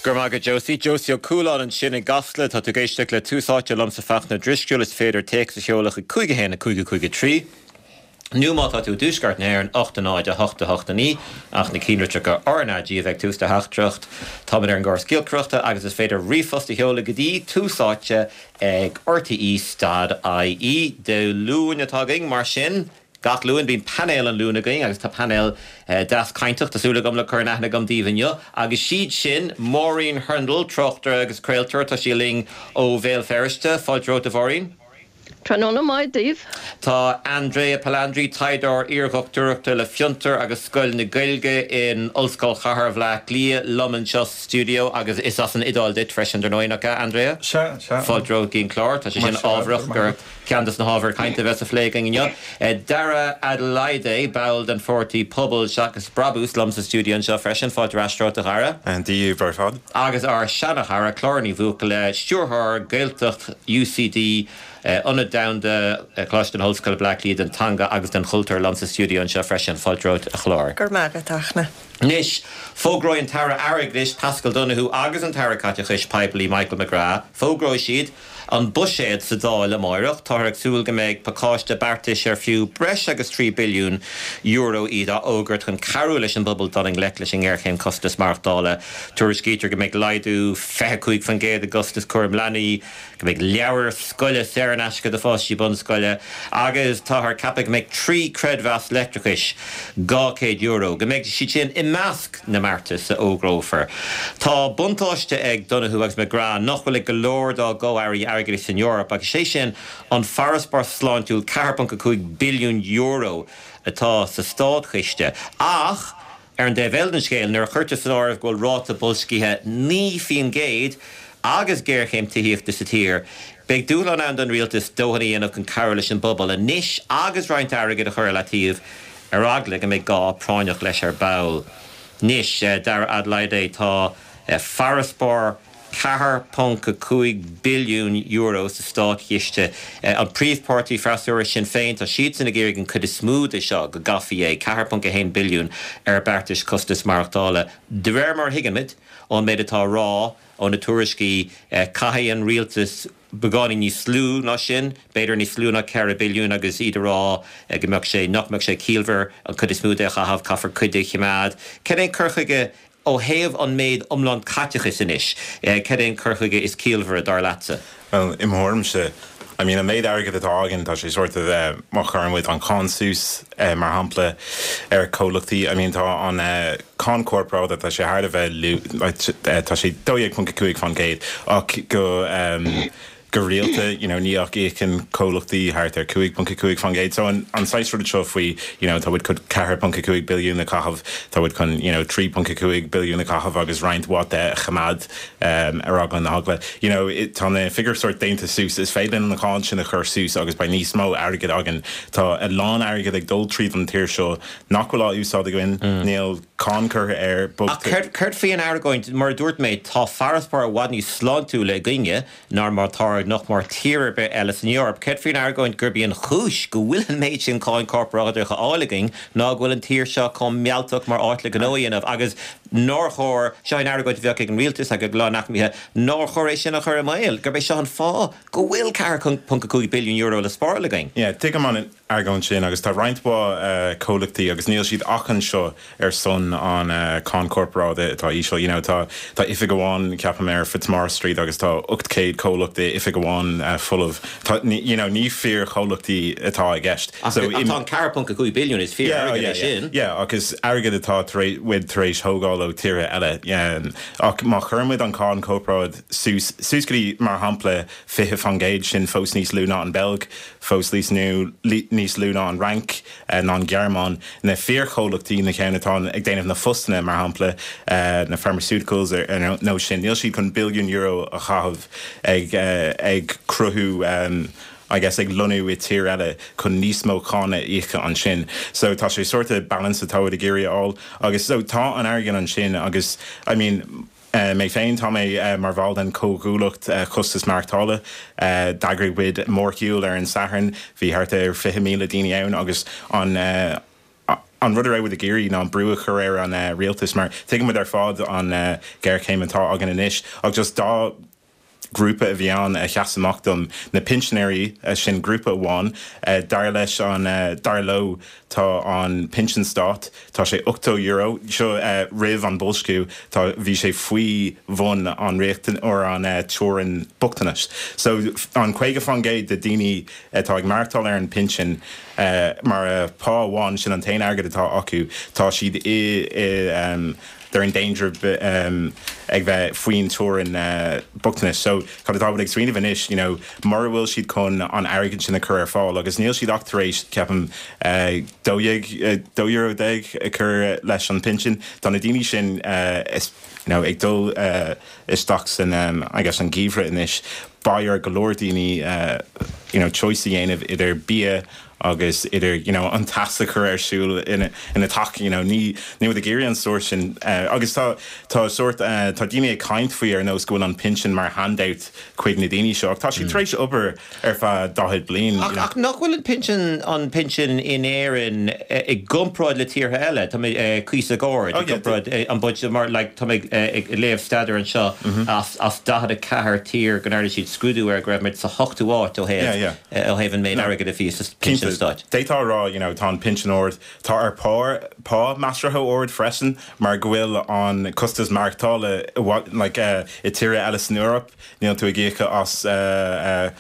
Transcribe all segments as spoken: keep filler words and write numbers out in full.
Go raibh maith agat Josie. Josie Ó Cualáin ansin i gCasla tá tú ag éisteacht le Tús Áite liomsa Fachtna Drisceoil is féidir téacs a sheoladh chuig cúig a haon a cúig a cúig a trí. Nó má tá tú i dtuaisceart na hÉireann ocht a náid a hocht a hocht a naoi ach na ceannlitreacha RnaG a bheith ag tús do theachtaireacht. Táimid ar an gcóras giolcaireachta agus is féidir ríomhphost a sheoladh go dtí Tús Áite ag RTÉ dot IE. Dé Luain atá againn mar sin. Gach Luan bíonn painéal an Luain againn agus tá painéal deas cainteach, tá súil agam le cur in aithne agam daoibh inniu. Agus siad sin, Máirín Hurndall, tráchtaire agus craoltóir, tá sí linn ó Bhéal Feirste. Fáilte romhat a Mháirín. Tráthnóna maith daoibh. Tá Andrea Palandri, taighdeoir iardhochtúireachta le Fiontar agus Scoil na Gaeilge in Ollscoil Chathair Bhaile Átha Cliath liom anseo sa stiúideo agus is as an Iodáil duit freisin dar ndóigh, nach ea, Andrea? Sea, sea. Fáilte romhat go dtí an clár. Tá sé sin ábharach gur ceann de na hábhair cainte a bheas á phlé againn inniu. Dara Adelaide, ball den pháirtí Pobal Seachas Brabús, liom sa stiúideo anseo freisin. Fáilte ar ais romhat, a Dhara. Dia daoibh ar fad. Agus ár seana-chara, Clár Ní Bhuachalla, Stiúrthóir Gaeltacht UCD, Ionad Domhanda Choláiste na hOllscoile Bleá Cliath don Teanga agus don Chultúr liom sa stiúideo anseo freisin. Fáilte romhat, a Chláir. Go raibh maith agat, a Fhachtna. Anois, fógróidh an tAire Airgeadais, Paschal Donohoe agus an tAire Caiteachais Poiblí, Michael McGrath, fógróidh siad an buiséad sa Dáil amáireach. Táthar ag súil go mbeidh pacáiste beartais ar fiú breis agus trí billiún euro iad á fhógairt chun cabhrú leis an bpobal dul i ngleic leis an ngéarchéim costas maireachtála. Tuairiscítear go mbeidh laghdú fiche cúig faoin gcéad i gcostas cúram leanaí, go mbeidh leabhair scoile saor in aisce do pháistí bunscoile agus táthar ag ceapadh go mbeidh trí chreidmheas leictreachais dhá chéad euro, go mbeidh siad sin i measc na mbeartas a fhógrófar. Tá buntáiste ag Donohoe agus McGrath nach bhfuil ag go leor dá gcomh-airí airgeadais san Eoraip agus sé sin an farasbarr sláintiúil ceathair ponc a cúig billiún euro atá sa státchiste. Ach ar an dtaobh eile den scéal, nuair a chuirtear san áireamh go bhfuil ráta boilscithe naoi faoin gcéad agus géarchéim tithíochta sa tír, beidh dúshlán ann don rialtas dóthain a dhéanamh chun cabhrú leis an bpobal anois agus roinnt airgid a chur ar leataobh ar eagla go mbeidh gá práinneach leis ar ball. Anois, Dara Adelaide, tá farasbarr ceathair ponc a cúig billiún euro sa státchiste. An príomhpháirtí freasúra, Sinn Féin, tá siadsan ag iarraidh an chuid is mó de seo, go gcaithfí é, ceathair ponc a haon billiún, ar beartais costas maireachtála. De réir mar a thuigimid ón méid atá á rá ó na tuairiscí, caithfidh an rialtas beagáinín níos lú ná sin, b'fhéidir níos lú ná ceithre billiún agus iad ag rá go mbeadh sé, nach mbeadh sé ciallmhar an chuid is mó de a chaitheamh, caithfear cuid de a choimeád. Cad é an cur chuige ó thaobh an méid iomlán caiteachais anois, cad é an cur chuige is ciallmhaire, dar leatsa? Bhuel, i mo thuairimse, I mean, an méid airgid atá againn, tá sé sort of, má chuireann muid an cáin suas, mar shampla, ar chomhlachtaí, I mean, tá an cáin corparáide, tá sé thar a bheith lú, like, tá sé dó dhéag ponc a cúig faoin gcéad, ach go, go rialta, you know, ní ach íocann comhlachtaí thart ar cúig ponc a cúig faoin gcéad. So an, an saghas rud seo faoi, you know, tá muid chun ceathair ponc a cúig billiún a chaitheamh, tá muid chun, you know, trí ponc a cúig billiún a chaitheamh agus roinnt mhaith de a choimeád um, ar eagla na heagla. You know, it, tá na figiúir sort déanta suas, is féidir linn an cháin sin a chur suas agus beidh níos mó airgid againn. Tá a lán airgid ag dul tríd an tír seo nach bhfuil á úsáid againn, mm. níl cáin curtha air. Ach céard, céard faoi an argóint, mar a dúirt mé, tá farasbarr i bhfad níos sláintiúla againne ná mar atá ag nach mór tír ar bith eile san Eoraip. Céard faoin argóint gurb í an chúis go bhfuil an méid sin cáin corparáideach á fháil againn ná go bhfuil an tír seo chomh mealltach mar áit le gnó a dhéanamh agus nár chóir, seo an argóint a bheadh ag an rialtas agus ag a lánaicmithe, nár chóir é sin a chur i mbaol, gurb é seo an fáth go bhfuil ceathair ponc a cúig billiún euro le spáráil againn. Yeah, tuigim an argóint sin agus tá roinnt mhaith comhlachtaí agus níl siad ach anseo ar son an cáin corparáide atá íseal. You know, tá tá oifig amháin ceapaim ar Fitzmaurice Street agus tá ocht céad comhlacht i oifig amháin folamh. Tá you know, ní fíor chomhlachtaí atá i gceist. Ach so, tá an ceathair ponc a cúig billiún is fíor yeah, airgead é sin. Yeah, agus airgead atá tar muid tar éis thógáil ó tíortha eile. Yeah, ach má chuireann muid an cáin corparáid suas suas go dtí mar shampla fiche faoin gcéad sin fós níos lú ná an Beilg, fós níos lú níos lú ná an Fhrainc ná an Ghearmáin. Na fíorchomhlachtaí na ceann atá ag déanamh na phostanna mar shampla na pharmaceuticals ar nó sin, níl siad chun billiún euro a chaitheamh ag ag cruthú I guess ag lonnú i tír eile chun níos mó cáin a íoca ansin. So tá sé sort of balance atá ag iarraidh a fháil agus so tá an airgead ansin agus I mean mé féin tá mé mar bhall den comhghuallaíocht costas maireachtála. D'eagraigh muid mórshiúl ar an Satharn, bhí thart ar fiche míle daoine ann agus an an rud a raibh muid ag iarraidh ná an brú a chur ar an uh, rialtas mar tuigimid ar fad an uh, géarchéim atá againn anois ach just dá grúpa a bhí ann a sheas amach dom na pinsinéirí sin grúpa amháin dar leis an dar leo tá an pinsean stáit tá sé ochtó euro seo roimh an boilsciú tá bhí sé faoi bhun an riachtan or an teorainn bochtanais. So an caoga faoin gcéad de daoine atá ag maireachtáil ar an pinsean mar pá amháin sin an t-aon airgead atá acu tá siad i i um, they're in danger um, ag bheith faoin teorainn uh, bochtanais. So cad atá ag smaoineamh anois, you know, mura bhfuil siad chun an airgead sin a chur ar fáil, agus níl siad ach tar éis ceapaim uh, dó uh, dó euro déag a chur leis an pinsean, Tá na daoine sin uh, is, you know, ag dul uh, isteach san um, I guess an geimhreadh anois beidh ar go leor daoine uh, you know, choice a dhéanamh idir bia agus idir you know, an teas a chur ar siúl ina ina teach you know, ní ní ag iarraidh an sórt sin uh, agus tá tá sórt uh, tá daoine ag caint faoi ar nós go bhfuil an pinsean mar handout chuig na daoine seo tá siad tar éis obair ar feadh daichead bliain. Ach, ach nach bhfuil an pinsean an pinsean in Éirinn i gcomparáid le tíortha eile Tá cuíosach ard oh, yeah, an bud mar like, tá ag ag léamh staidéar anseo mm -hmm. as as daichead a ceathair tír go ndearna siad scrúdú ar go raibh muid sa hochtú háit ó thaobh ó thaobh an méid airgead a bhí sa pinsean stáit. D'fhéadfá rá you know, tá an pinsean ard tá ar pá pá measartha ard freisin mar go bhfuil an costas maireachtála like, uh, i tíortha eile san Eoraip níl tú ag íoc as uh, uh,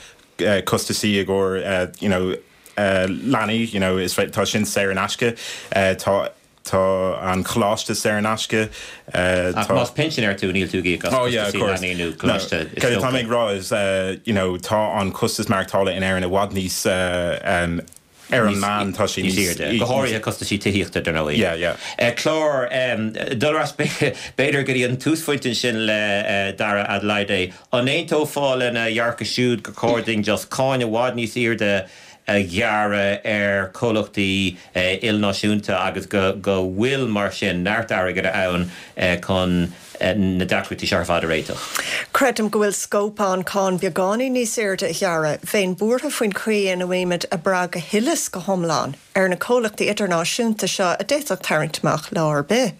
uh, costasaí ag uh, you know, uh, leanaí you know, is tá sin saor in aisce uh, tá tá an coláiste saor in aisce uh, más pinsinéir tú níl tú ag oh, yeah, tá ag rá is uh, you know, tá an costas maireachtála in Éirinn i bhfad níos uh, um, ar an meán tá sé níos go háirithe costaisí tithíochta dar ndóigh. Yeah, yeah. Clár dul ar ais b'fhéidir go dtí an túsphointe sin le Dara Adelaide. An aontófá lena dhearcadh siúd gur chóir dúinn just cáin i bhfad níos airde a ghearradh ar chomhlachtaí ilnáisiúnta agus go go bhfuil mar sin neart airgead ann chun na deacrachtaí seo ar fad a réiteach. Creidim go bhfuil scóip ann cáin beagáinín níos airde a ghearradh, bheinn buartha faoin chaoi ina bhfuilimid ag brath go huile is go hiomlán ar na comhlachtaí idirnáisiúnta seo a d'fhéadfadh tarraingt amach lá ar bith.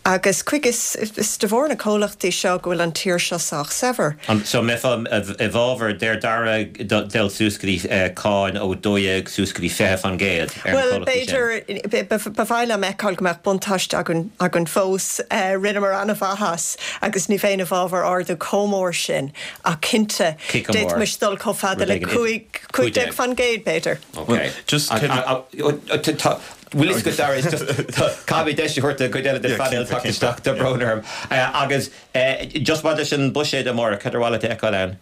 Agus chuig is is de bharr na comhlachtaí seo go bhfuil an tír seo sách saibhir. So mbeifeá i bhfabhar deir Dara dul suas go dtí cáin ó dó dhéag suas go dtí fiche faoin gcéad ar na Well comhlachtaí sin. b'fhéidir ba mhaith liom feiceáil go mbeadh buntáiste againn againn fós rinneamar an-mhaitheas agus ní bheinn i bhfabhar ardú chomh mór sin ach cinnte Cé chomh mór? d'fhéadfaimis dul chomh fada le Rud éigin cúig cúig déag faoin gcéad b'fhéidir. Okay. just Bhfuil go Dara is just caithfidh mé deis a thabhairt do chuid eile den phainéal teacht isteach tá brón orm. Agus just maidir leis an buiséad amárach, cad ar mhaith leat a fheiceáil ann?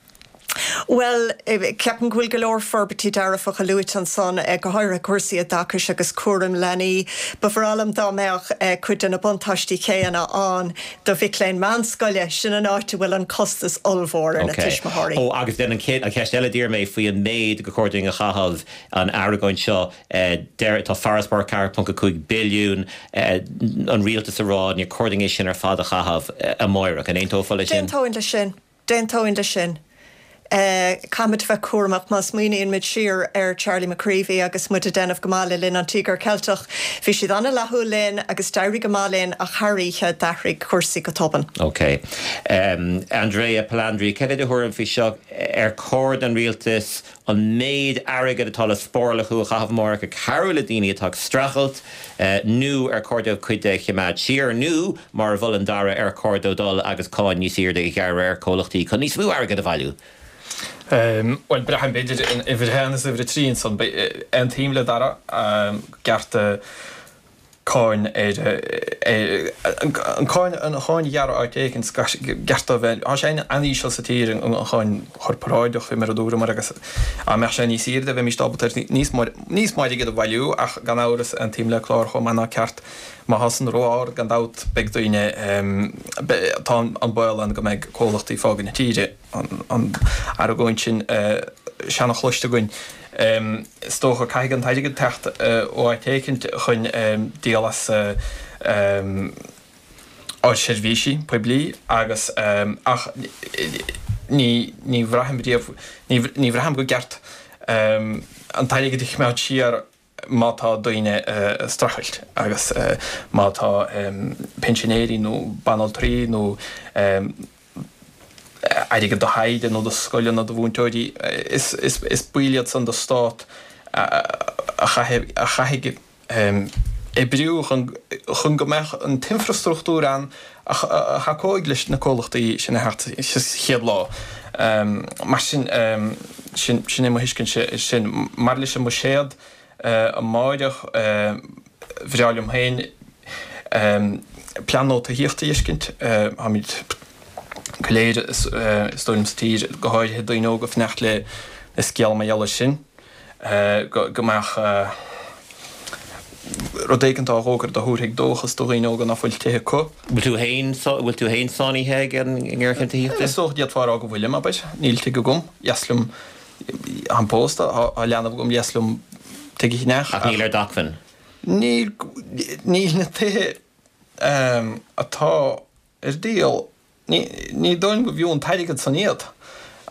Well, ceapaim go bhfuil go leor forbairtí dearfacha luaite ansan go háirithe cúrsaí oideachais agus cúram leanaí. Ba bhreá liom dá mbeadh cuid de na buntáistí céanna ann do mhic léinn meánscoile sin an áit a bhfuil an costas ollmhór ar na tuismitheoirí. Ó agus den an chéad an cheist eile d'iarr mé faoi an méid gur chóir dúinn a chaitheamh an argóint seo deir tá farasbarr ceathair ponc a cúig billiún an rialtas a rá níor chóir dúinn é sin ar fad a chaitheamh amárach. An aontófá leis sin? D'aontóinn leis sin. D'aontóinn leis sin. Uh, Caithfimid bheith cúramach má smaoiníonn muid siar ar Charlie McCreevy agus muid ag déanamh go maith le linn an Tíogar Ceilteach. Bhí siad an-fhlaithiúil linn agus d'éirigh go maith linn ach thar oíche d'athraigh cúrsaí go tobann. Ok. Um, Andrea Palandri, cad é do thuairim faoi seo ar chóir don rialtas an méid airgead atá le spáráil acu a chaitheamh amárach ag cabhrú le daoine atá ag streachailt uh, nó ar chóir dóibh cuid de a choimeád siar nó mar a mholann Dara ar chóir dóibh dul agus cáin níos airde a ghearradh ar chomhlachtaí chun níos mó airgead a bhailiú. Um, well braithim b'fhéidir uimhir a haon is uimhir a trí ansan aontaím le Dara um, ceart cáin ar an cáin an cháin ghearradh áit éigin ceart a bheith Tá sé an-íseal sa tír an cháin chorparáideach mar a dúramar agus dá mbeadh sé níos airde bheimis ábalta níos níos mó airgid a bhailiú ach gan amhras aontaím le Clár chomh maith ná ceart má tá san ró-ard gan dabht beidh daoine tá an baol ann go mbeidh comhlachtaí ag fágáil na tíre an argóint sin seanchloiste againn. Is dócha caithfidh an t-airgead teacht ó áit éicint chun díol as ár seirbhísí poiblí agus ach ní ní bhraithim riamh ní bhraithim go gceart an t-airgead a choimeád siar má tá daoine ag streachailt agus má tá pinsinéirí nó banaltraí nó airgead do thaighde nó do scoileanna do mhúinteoirí, is baill iad san de stát a chaithfidh oibriú chun go mbeadh an t-infreastruchtúr ann a thacóidh leis na comhlachtaí sin a theacht sa chéad lá. Mar sin, sin é mo thuiscint air sin. Maidir leis an mbuiséad amáireach, bhreá liom féin plean nua tithíochta a fheiscint. Táimid go léir is dóigh liom sa tír, go háirithe daoine óga, ag fanacht le scéal mar gheall air sin, go mbeadh rud éigin á fhógairt a thabharfaidh dóchas do dhaoine óga nach bhfuil tithe acu. Bhfuil tú féin bhfuil tú féin sáinnithe ag an ngéarchéim tithíochta? Is dócha d'fhéadfá a rá go bhfuilim, abair. Níl tigh agam. Dheas liom, táim pósta, tá leanbh agam, dheas liom tigh a cheannach. Ach níl ar d'acmhainn? Níl, níl na tithe atá ar díol, ní, ní dóigh liom go bhfiú an t-airgead san iad.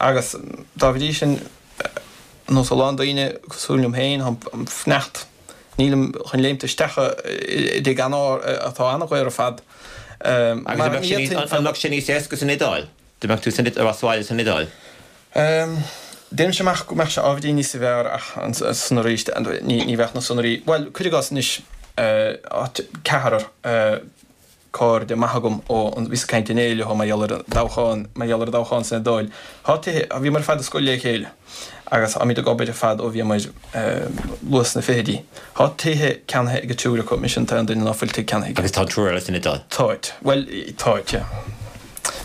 Agus dá bhrí sin, ar nós a lán daoine cosúil liom féin, táim ag fanacht, nílim chun léimt isteach i dtigh atá an-dhaor ar fad. Agus an mbeadh sé níos, an mbeadh sé níos éasca san Iodáil? Dá mbeadh tú san, as bhaile san Iodáil? Déanaimse amach go mbeadh sé ábhairín níos fearr ach ansan arís ní bheadh na sonraí, bhuel, cuir i gcás anois, ceathrar cairde maith agam ó bhíos ag caint inné leo mar gheall ar an dtoghchán, mar gheall ar an dtoghchán san Iodáil. Tá tithe, bhíomar ar fad ar scoil le chéile agus táimid ag obair ar fad ó bhíomar luath sna fichidí. Tá tithe ceannaithe ag an triúr acu, mise an t-aon duine ná fuil tigh ceannaithe aige. Agus tá an triúr eile san Iodáil? Táid. Bhuel, táid, yeah.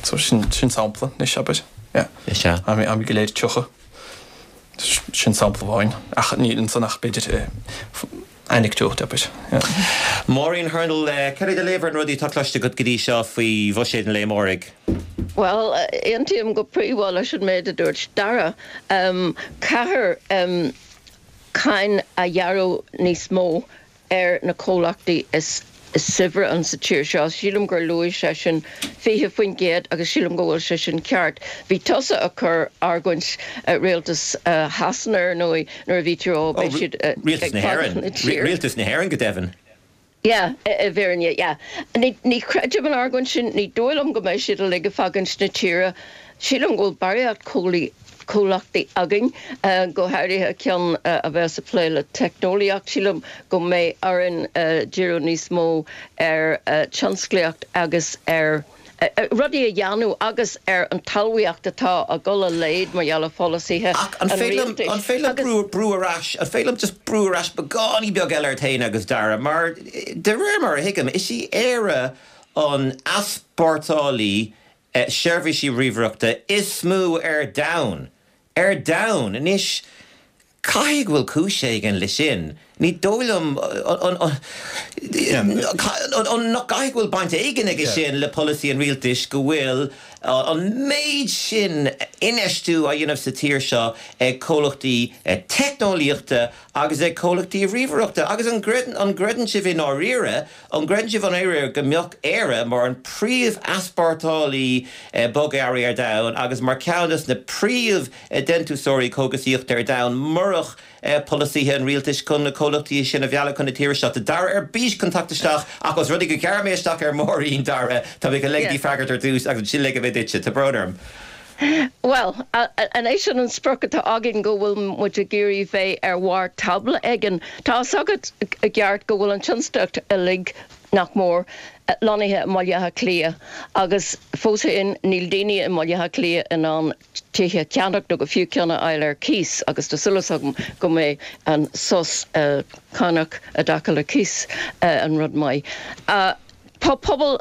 So sin, sin sampla anois, abair. Yeah. Is ea. Táimid go léir tríocha. Sin sampla amháin. Ach níl ansan ach b'fhéidir anecdote, abair. Yeah. Máirín Hurndall, cad é do léamh ar na rudaí atá cloiste agat go dtí seo faoi bhuiséad an lae amáirigh? Bhuel, aontaím go príomha leis an méid a dúirt Dara. Caithfear cáin a ghearradh níos mó ar na comhlachtaí is saibhre ann sa tír seo. Sílim gur luaigh seisean fiche faoin gcéad agus sílim go bhfuil sé sin ceart. Bhí tusa ag cur argóint rialtas Shasana ar ndóigh nuair a bhí tú á beidh siad ag Rialtas na fágáil hÉireann. na tíre. Rialtas na hÉireann go deimhin. Yeah, i bhfírinne, yeah. Ní ní chreidim an argóint sin, ní dóigh liom go mbeidh siad uilig ag fágaint na tíre. Sílim go bhfuil barraíocht comhlachtaí againn, go háirithe ceann a bheas ag plé le teicneolaíocht. Sílim go mbeidh orainn díriú níos mó ar tionsclaíocht agus ar rudaí a dhéanamh agus ar an talmhaíocht atá ag dul i laghad mar gheall ar pholasaithe Ach an an féidir liom, rialtais. an féidir liom Agus. brú, brú ar ais, an féidir liom just brú ar ais beagáinín beag eile ort féin agus Dara, mar de réir mar a thuigim, is í Éire an easpórtálaí seirbhísí ríomhaireachta is mó ar domhan. Ar domhan! Anois, caithfidh go bhfuil cúis éigin leis sin. Ní dóigh liom, nach gcaithfidh go bhfuil baint éigin aige sin le polasaí an rialtais go bhfuil an méid sin infheistiú á dhéanamh sa tír seo ag comhlachtaí teicneolaíochta agus ag comhlachtaí ríomhaireachta. Agus an gcreideann sibh i ndáiríre, an gcreideann sibh i ndáiríre go mbeadh Éire mar an príomh-easpórtálaí bogearraí ar domhan agus mar cheann de na príomh-dhéantúsóirí cógaisíochta ar domhan murach polasaithe an rialtais chun na comhlachtaí sin a mhealladh chun na tíre seo? Tá Dara ar bís chun teacht isteach ach os rud é gur ghearr mé isteach ar Mháirín, Dara, tá mé chun ligean di freagairt ar dtús agus ansin ligfidh mé duitse. Tá brón orm. Bhuel, an é sin an sprioc atá againn, go bhfuil muid ag iarraidh bheith ar bharr tábla éigin? Tá a fhios agat i gceart go bhfuil an tionsclaíocht uilig, nach mór, lonnaithe i mBaile Átha Cliath agus fós féin níl daoine i mBaile Átha Cliath in ann tithe a cheannach nó go fiú ceann a fháil ar cíos agus tá súil agam go mbeidh an sos cánach i dtaca le cíos an rud maith. Tá pobal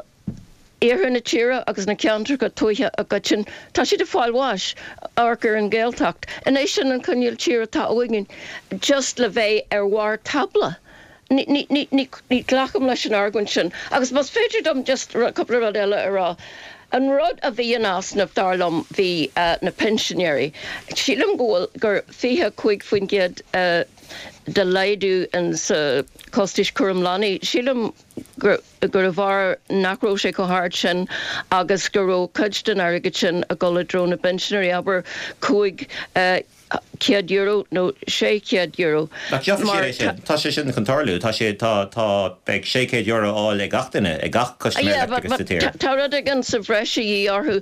iarthar na tíre agus na ceantracha tuaithe i gcoitinne, tá siad ag fáil bháis. Amharc ar an Ghaeltacht. An é sin an cineál tíre atá uainn just le bheith ar bharr tábla? Ní, ní, ní, ní, ní ghlacaim leis an argóint sin. Agus más féidir dom just cúpla rud eile a rá. An rud a bhí in easnamh, dar liom, bhí na pinsinéirí. Sílim go bhfuil, gur fiche cúig faoin gcéad de laghdú in sa costais cúram leanaí. Sílim gur gurbh fhearr nach raibh sé chomh hard sin agus go raibh cuid den airgead sin ag dul i dtreo na bpinsinéirí, abair cúig céad euro nó sé chéad euro. Nach gheobhaidh siad é sin? Tá sé sin chun tarlú, tá sé tá tá beidh sé chéad euro á fháil ag gach duine, ag gach custaiméir leictreachais sa tír. Tá rud éigin sa bhreis a dhíth orthu.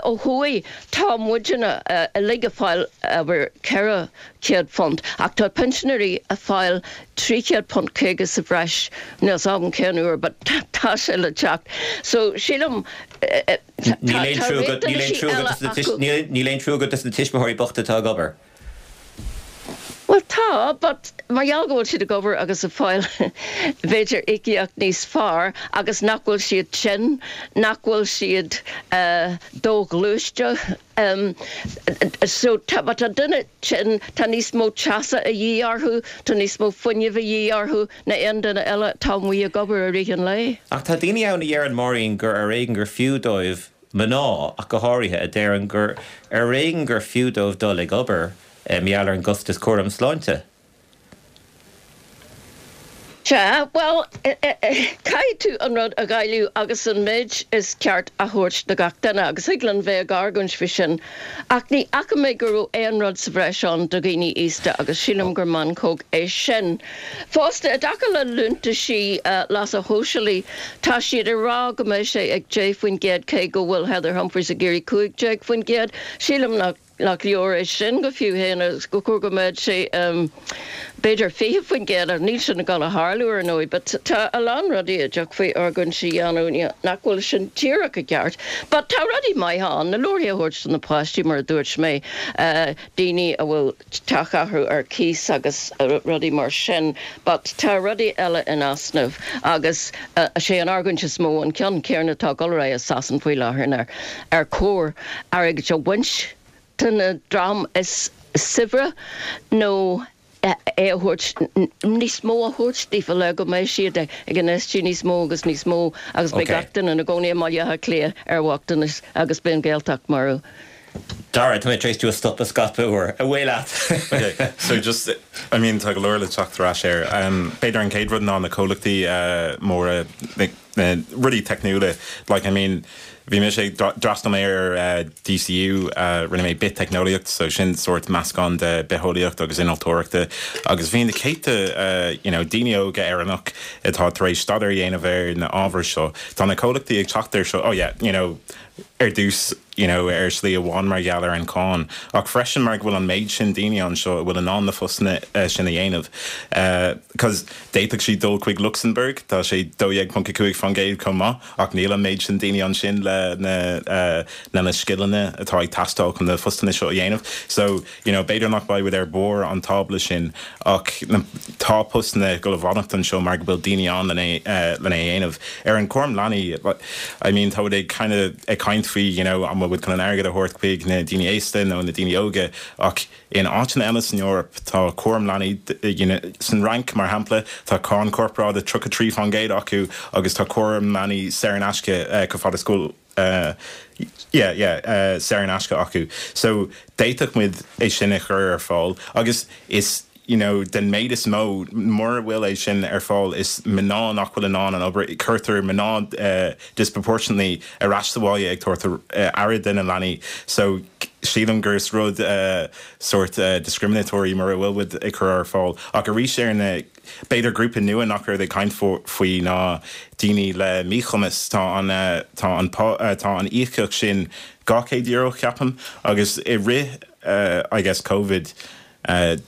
Ó thuaidh tá muidne uilig ag fáil abair ceithre chéad punt ach tá pinsinéirí ag fáil trí chéad punt caoga sa bhreis, níl 's agam cén uair but tá sé le teacht. So sílim Níl aon trua agat dos na tuismitheoirí bochta atá ag obair. Bhuel tá, but mar gheall go bhfuil siad ag obair agus ag fáil b'fhéidir íocaíocht níos fearr agus nach bhfuil siad tinn, nach bhfuil siad doghluaiste. So tá, má tá duine tinn, tá níos mó teasa a dhíth orthu, tá níos mó fuinnimh a dhíth orthu ná aon duine eile atá amuigh ag obair i rith an lae. Ach tá daoine ann a dheireann, Máirín, gur ar éigean gur fiú dóibh, mná ach go háirithe, a deireann gur ar éigean gur fiú dóibh dul ag obair. Mar gheall ar an gcostas cúram sláinte. Sea, bhuel, caithfidh tú an rud a dháileadh agus an méid is ceart a thabhairt do gach duine, agus thig linn bheith ag argóint faoi sin, ach ní fhaca mé go raibh aon rud sa bhreis ann do dhaoine aosta agus sílim gur meancóg é sin. Fosta, i dtaca le liúntaisí leasa shóisialaigh, tá siad ag rá go mbeidh sé ag deich faoin gcéad cé go bhfuil Heather Humphreys ag iarraidh cúig déag faoin gcéad. Sílim nach. nach leor é sin go fiú féin agus gur chóir go mbeadh sé b'fhéidir fiche faoin gcéad ach níl sin ag dul a tharlú ar ndóigh but tá a lán rudaí a dtiocfaí argóint a dhéanamh nach bhfuil sin díreach i gceart but tá rudaí maithe ann, na leabharthaí a thabhairt do na páistí mar a dúirt mé, daoine a bhfuil teach acu ar cíos agus rudaí mar sin but tá rudaí eile in easnamh agus is é an argóint is mó an ceann céanna atá ag dul ar aghaidh i Sasain faoi láthair ná ar chóir airgead a bhaint den dream is saibhre nó é a thabhairt, níos mó a thabhairt daofa le go mbeidh siad ag infheistiú níos mó agus níos mó agus beidh gach duine ina gcónaí i mBaile Átha Cliath ar bhochtanas agus beidh an Ghaeltacht marbh. Dara, tá mé tar éis tú a stopadh scata uair. Away leat! Ok, so just, I mean tá go leor le teacht ar ais air. B'fhéidir an chéad rud ná na comhlachtaí móra, na rudaí teicniúla, like I mean, Bhí mise ag, d'fhreastail mé ar DCU, rinne mé biteicneolaíocht, so sin sórt meascán de bitheolaíocht agus innealtóireachta agus bhí na céadta you know daoine óga Éireannach atá tar éis staidéar a dhéanamh ar na ábhair seo. Tá na comhlachtaí ag teacht ar seo, oh yeah, you know, ar dtús you know ar shlí amháin mar gheall ar an cáin ach freisin mar go bhfuil an méid sin daoine anseo a bhfuil in ann na postanna sin a dhéanamh. Cos d'fhéadfadh siad dul chuig Lucsamburg, tá sé dó dhéag ponc a cúig faoin gcéad chomh maith ach níl an méid sin daoine ansin le na le na scileanna atá ag teastáil chun na postanna seo a dhéanamh. So you know b'fhéidir nach mbeidh muid ar bharr an tábla sin ach na tá postanna ag dul a fhanacht anseo mar go bhfuil daoine ann lena lena dhéanamh. Ar an cúram leanaí I mean tá muid ag kind of ag caint faoi you know an bhfuil muid chun an airgead a thabhairt chuig na daoine aosta nó na daoine óga ach in áiteanna eile san Eoraip tá cúram leanaí you know san Fhrainc mar shampla tá cáin corparáide tríocha trí faoin gcéad acu agus tá cúram leanaí saor in aisce chomh fada is go bhfuil yeah yeah saor in aisce acu so d'fhéadfadh muid é sin a chur ar fáil agus is you know den méid is mó mura bhfuil é sin ar fáil is mná nach bhfuil in ann an obair cuirtear mná disproportionately ar ais sa bhaile ag tabhairt aire do na leanaí so sílim gur is rud sórt discriminatory mura bhfuil muid ag cur ar fáil ach arís ar na b'fhéidir grúpa nua nach raibh ag caint faoi ná daoine le míchumas tá an tá an tá an íocaíocht sin dhá chéad euro ceapaim agus i rith I guess Covid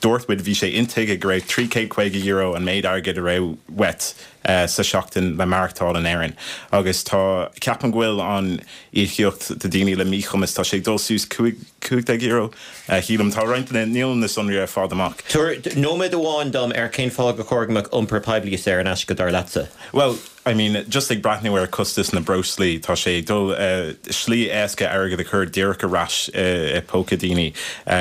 Dúirt muid, bhí sé intuigthe go raibh trí chéad caoga euro an méid airgid a raibh uait sa seachtain le maireachtáil in Éirinn. Agus tá, ceapaim go bhfuil an íocaíocht do daoine le míchumas, tá sé ag dul suas cúig déag euro, shílim. Tá roinnt de na, níl na sonraí ar fad amach. Tabhair nóiméad amháin dom ar cén fáth gur chóir go mbeadh iompar poiblí saor in aisce dar leatsa. Bhuel, I mean, just ag breathnú ar costas na breoslaí, tá sé ag dul, slí éasca airgead a chur díreach ar ais i póca daoine.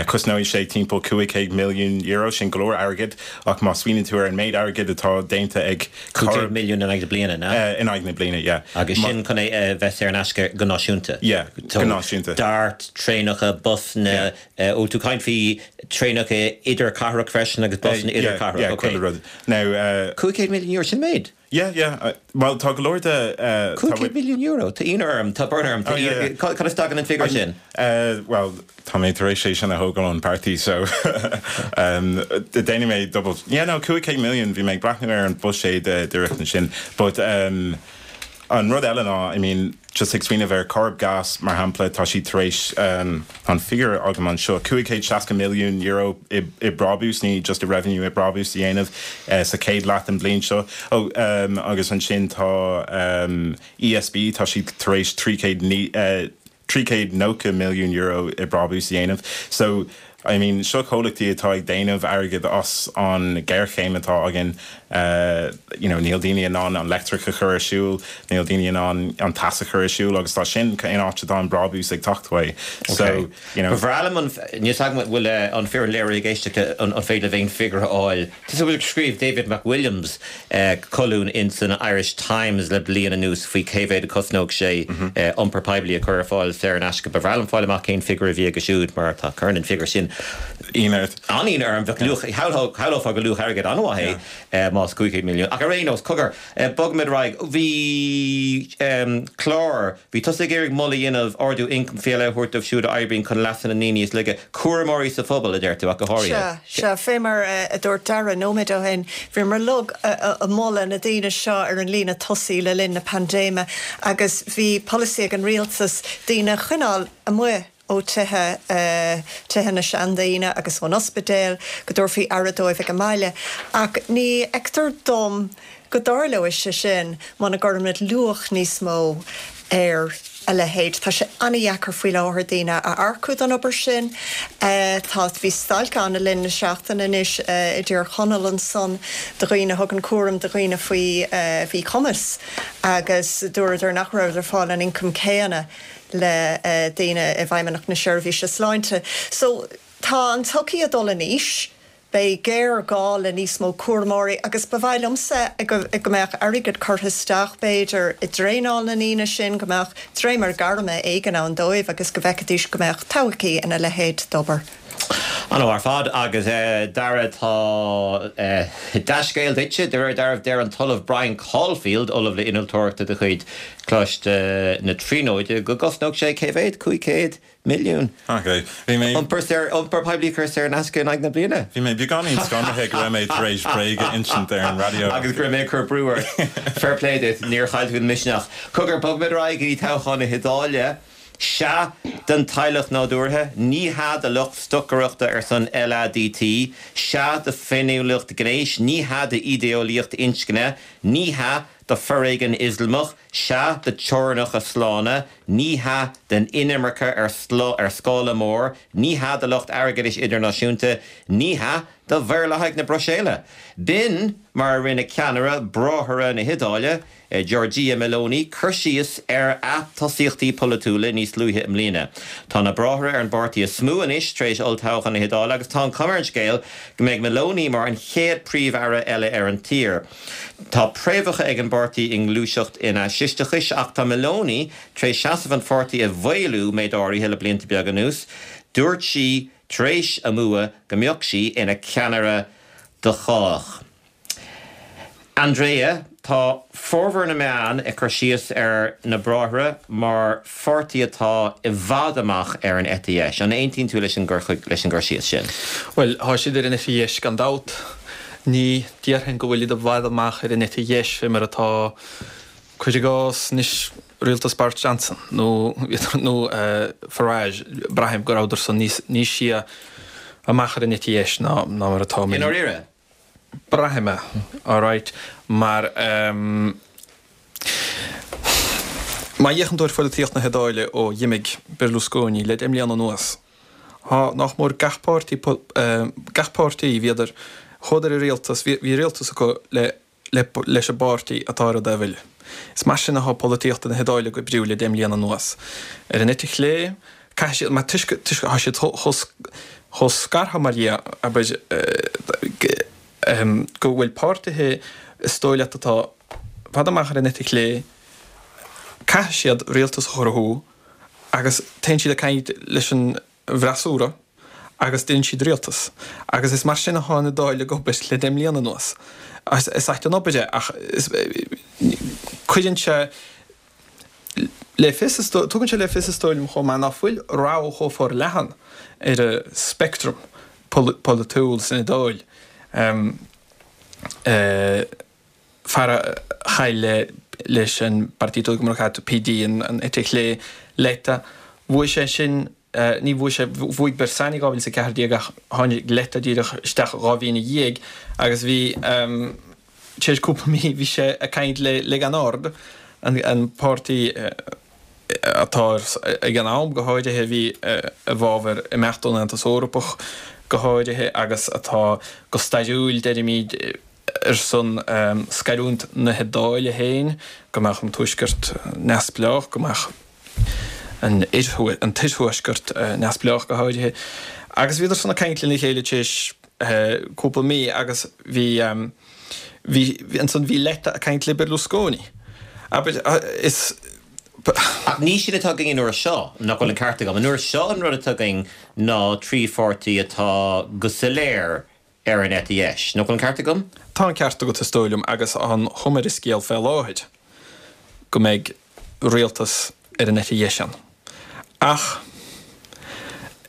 Cosnóidh sé timpeall cúig chéad milliún euro, sin go leor airgid, ach má smaoiníonn tú ar an méid airgid atá déanta ag Cúig chéad milliún in aghaidh na bliana, ná? In aghaidh na bliana, yeah. Agus sin chun é a bheith saor in aisce go náisiúnta? Yeah, go náisiúnta. Dart, traenacha, busanna, ó tú caint faoi traenacha idirchathrach freisin agus busanna idirchathrach, Yeah, yeah, chuile rud. Now. Cúig chéad milliún euro, sin méid? Yeah, yeah. Well, tá go leor de... Cúig chéad milliún euro, tá ionadh orm, tá brón orm, cá as a dtagann an figiúr sin? Well, tá mé tar éis é sin a thógáil ón páirtí, so déanfaidh mé double... Yeah, no, cúig chéad milliún, bhí mé ag breathnú ar an buiséad díreach ansin, but um, an rud eile ná, I mean, just ag smaoineamh ar Corrib Gas mar shampla, tá siad tar éis um, an figiúr agam anseo cúig chéad seasca milliún euro i, i brabús, ní just i revenue i brabús a dhéanamh uh, sa chéad leath den bliain seo. Oh, um, agus ansin tá um, E S B, tá siad tar éis trí chéad uh, trí chéad nócha milliún euro i brabús a dhéanamh. So I mean, seo comhlachtaí atá ag déanamh airgead as an géarchéim atá againn uh, you know, níl daoine in ann an leictreach a chur ar siúl, níl daoine in ann an teas a chur ar siúl agus tá sin in áit atá an brabús ag teacht uaidh. So, you know, Bhreá liom an níos bhfuil an fear léir géiste an féidir bhein figiúr a fháil. Tá bhfuil scríobh David McWilliams uh, colún in san Irish Times le bliain anuas faoi cé mhéad a chosnódh sé mm -hmm. uh, iompar poiblí a chur ar fáil saor in aisce. Ba bhreá liom fáil amach cén figiúr a bhí aige siúd mar tá cuireann an figiúr sin ionadh. An-ionadh orm bheadh luach shamhlófá go luach airgead an-mhaith é más cúig milliún. Ach ar aon nós cogar bogfaimid ar aghaidh bhí clár bhí tusa ag iarraidh moladh a dhéanamh ardú ioncaim faoi leith a thabhairt dóibh siúd a oibríonn chun leasa na ndaoine is laige cúramóirí sa phobal a deir tú ach go háirithe. Sea, fé mar a dúirt Dara nóiméad ó shin, bhíomar uilig ag moladh na daoine seo ar an líne tosaigh le linn na paindéime agus bhí polasaí ag an rialtas daoine a choinneáil amuigh ó tithe tithe na seandaoine agus ón ospidéal go dtabharfaí aire dóibh ag an mbaile. Ach ní fheictear dom go dtarlóidh sé sin muna gcuirimid luach níos mó ar a leithéid. Tá sé an-deacair faoi láthair daoine a earcú don obair sin. Tá bhí stailc ann le linn na seachtaine anois i dTír Chonaill ansan do dhaoine a thugann cúram do dhaoine faoi mhíchumas agus dúradar nach raibh ar fáil an ioncam céanna le daoine i bhFeidhmeannacht na Seirbhíse Sláinte. So tá an tsochaí ag dul in aois, beidh géarghá le níos mó cúramóirí agus ba mhaith liomsa go mbeadh airgead curtha isteach b'fhéidir i dtraenáil na ndaoine sin, go mbeadh dréimire gairme éigin ann dóibh agus go bhfeicfidís go mbeadh todhchaí ina leithéid d'obair. An-mhaith ar fad agus Dara tá dea-scéal duitse de réir dealraimh deir an tOllamh Brian Caulfield, Ollamh le Innealtóireacht de chuid Choláiste na Tríonóide go gcosnódh sé cé mhéad cúig chéad milliún. Ok, bhí mé. Iompar saor iompar poiblí a chur saor in aisce in aghaidh na bliana. Bhí mé beagáinín scanraithe go raibh mé tar éis bréag a insint ar an raidió. Agus go raibh mé ag cur brú ort. Fair play duit, níor chaill tú an misneach. Cogar bogfaimid ar aghaidh go dtí toghchán na hIodáile. Sea don teaghlach nádúrtha, ní hea do lucht stocaireachta ar son L A D T, sea do féiniúlacht gnéis, ní hea d'ídéolaíocht inscne, ní hea do foréigean Ioslamach, sea do teorainneacha slána, ní hea don inimirce ar ar scála mór, ní hea do lucht airgeadais idirnáisiúnta, ní hea do mhaorlathaigh na Bruiséile. B'in mar a rinne ceannaire Bráithre na hIodáile, Giorgia Meloni, cur síos ar a tosaíochtaí polaitiúla níos luaithe i mbliana. Tá na Bráithre ar an bpáirtí is mó anois tar éis olltoghchán na hIodáile agus tá an chuma ar an scéal go mbeidh Meloni mar an chéad príomh-aire eile ar an tír. Tá préamhacha ag an bpáirtí i ngluaiseacht an fhaisisteachais ach tá Meloni tar éis seasamh an pháirtí a mhaolú méid áirithe le blianta beaga anuas. Dúirt sí tar éis a bua go mbeadh sí ina ceannaire do chách. Andrea, tá formhór na meán ag cur síos ar na Bráithre mar pháirtí atá i bhfad amach ar an eite dheis. An aontaíonn tú leis an leis an gcur síos sin? Well, tá siad ar an eite dheis gan dabht. Ní déarfainn go bhfuil siad i bhfad amach ar an eite dheis fé mar atá cuir i gcás anois rialtas Boris Johnson nó nó uh, Farage braithim go rabhadar san níos níos sia amach ar an eite dheis ná ná mar atá I ndáiríre? Braithim é, alright, mar um, má fhéachann tú ar pholaitíocht na hIodáile ó d'imigh Berlusconi le deich mbliana anuas. Tá nach mór gach páirtí gach páirtí bhíodar chuadar i rialtas bhí rialtas acu le le leis an bpáirtí atá ar an dtaobh eile. Is mar sin atá polaitíocht na hIodáile ag oibriú le deich mbliana anuas. Ar an eite chlé caithfidh siad mar toisc tá siad chomh scartha mar dhea abair go bhfuil páirtithe is dóigh leat atá i bhfad amach ar an eite chlé caithfidh siad rialtas a chruthú agus téann siad ag caint leis an bhfreasúra agus déanann siad rialtas. Agus is mar sin atá an Iodáil ag obair le deich mbliana anuas. Is ait an obair é ach cuireann sé le fios, tugann sé le fios is dóigh liom chomh maith ná fuil rogha chomh forleathan ar an speictream polaitiúil san Iodáil. Fear a chaill leis an Partito Democratico, P D, an eite chlé, Letta, bhuaigh sé sin, ní bhuaigh sé, bhuaigh Bersani dhá mhíle is a ceathair déag ach tháinig Letta díreach isteach dhá mhí ina dhiaidh agus bhí, tar éis cúpla mí, bhí sé ag caint le Lega Nord, an páirtí atá ag an am go háirithe a bhí i bhfabhar imeacht ón Aontas Eorpach go háirithe agus atá go stairiúil, deirimid, ar son scarúint na hIodáile féin, go mbeadh an Tuaisceart neamhspleách, go mbeadh an tIarthuaisceart neamhspleách go háirithe. Agus bhíodar san ag caint lena chéile tar éis cúpla mí agus bhí, bhí, ansan bhí Letta ag caint le Berlusconi. Abair, is. Ach ní sin atá againn an uair seo, nach bhfuil an ceart agam? An uair seo an rud atá againn ná trí pháirtí atá go soiléir ar an eite dheis. Nach bhfuil an ceart agam? Tá an ceart agat is dóigh liom agus an chuma ar an scéal fé láthair go mbeidh rialtas ar an eite dheis ann. Ach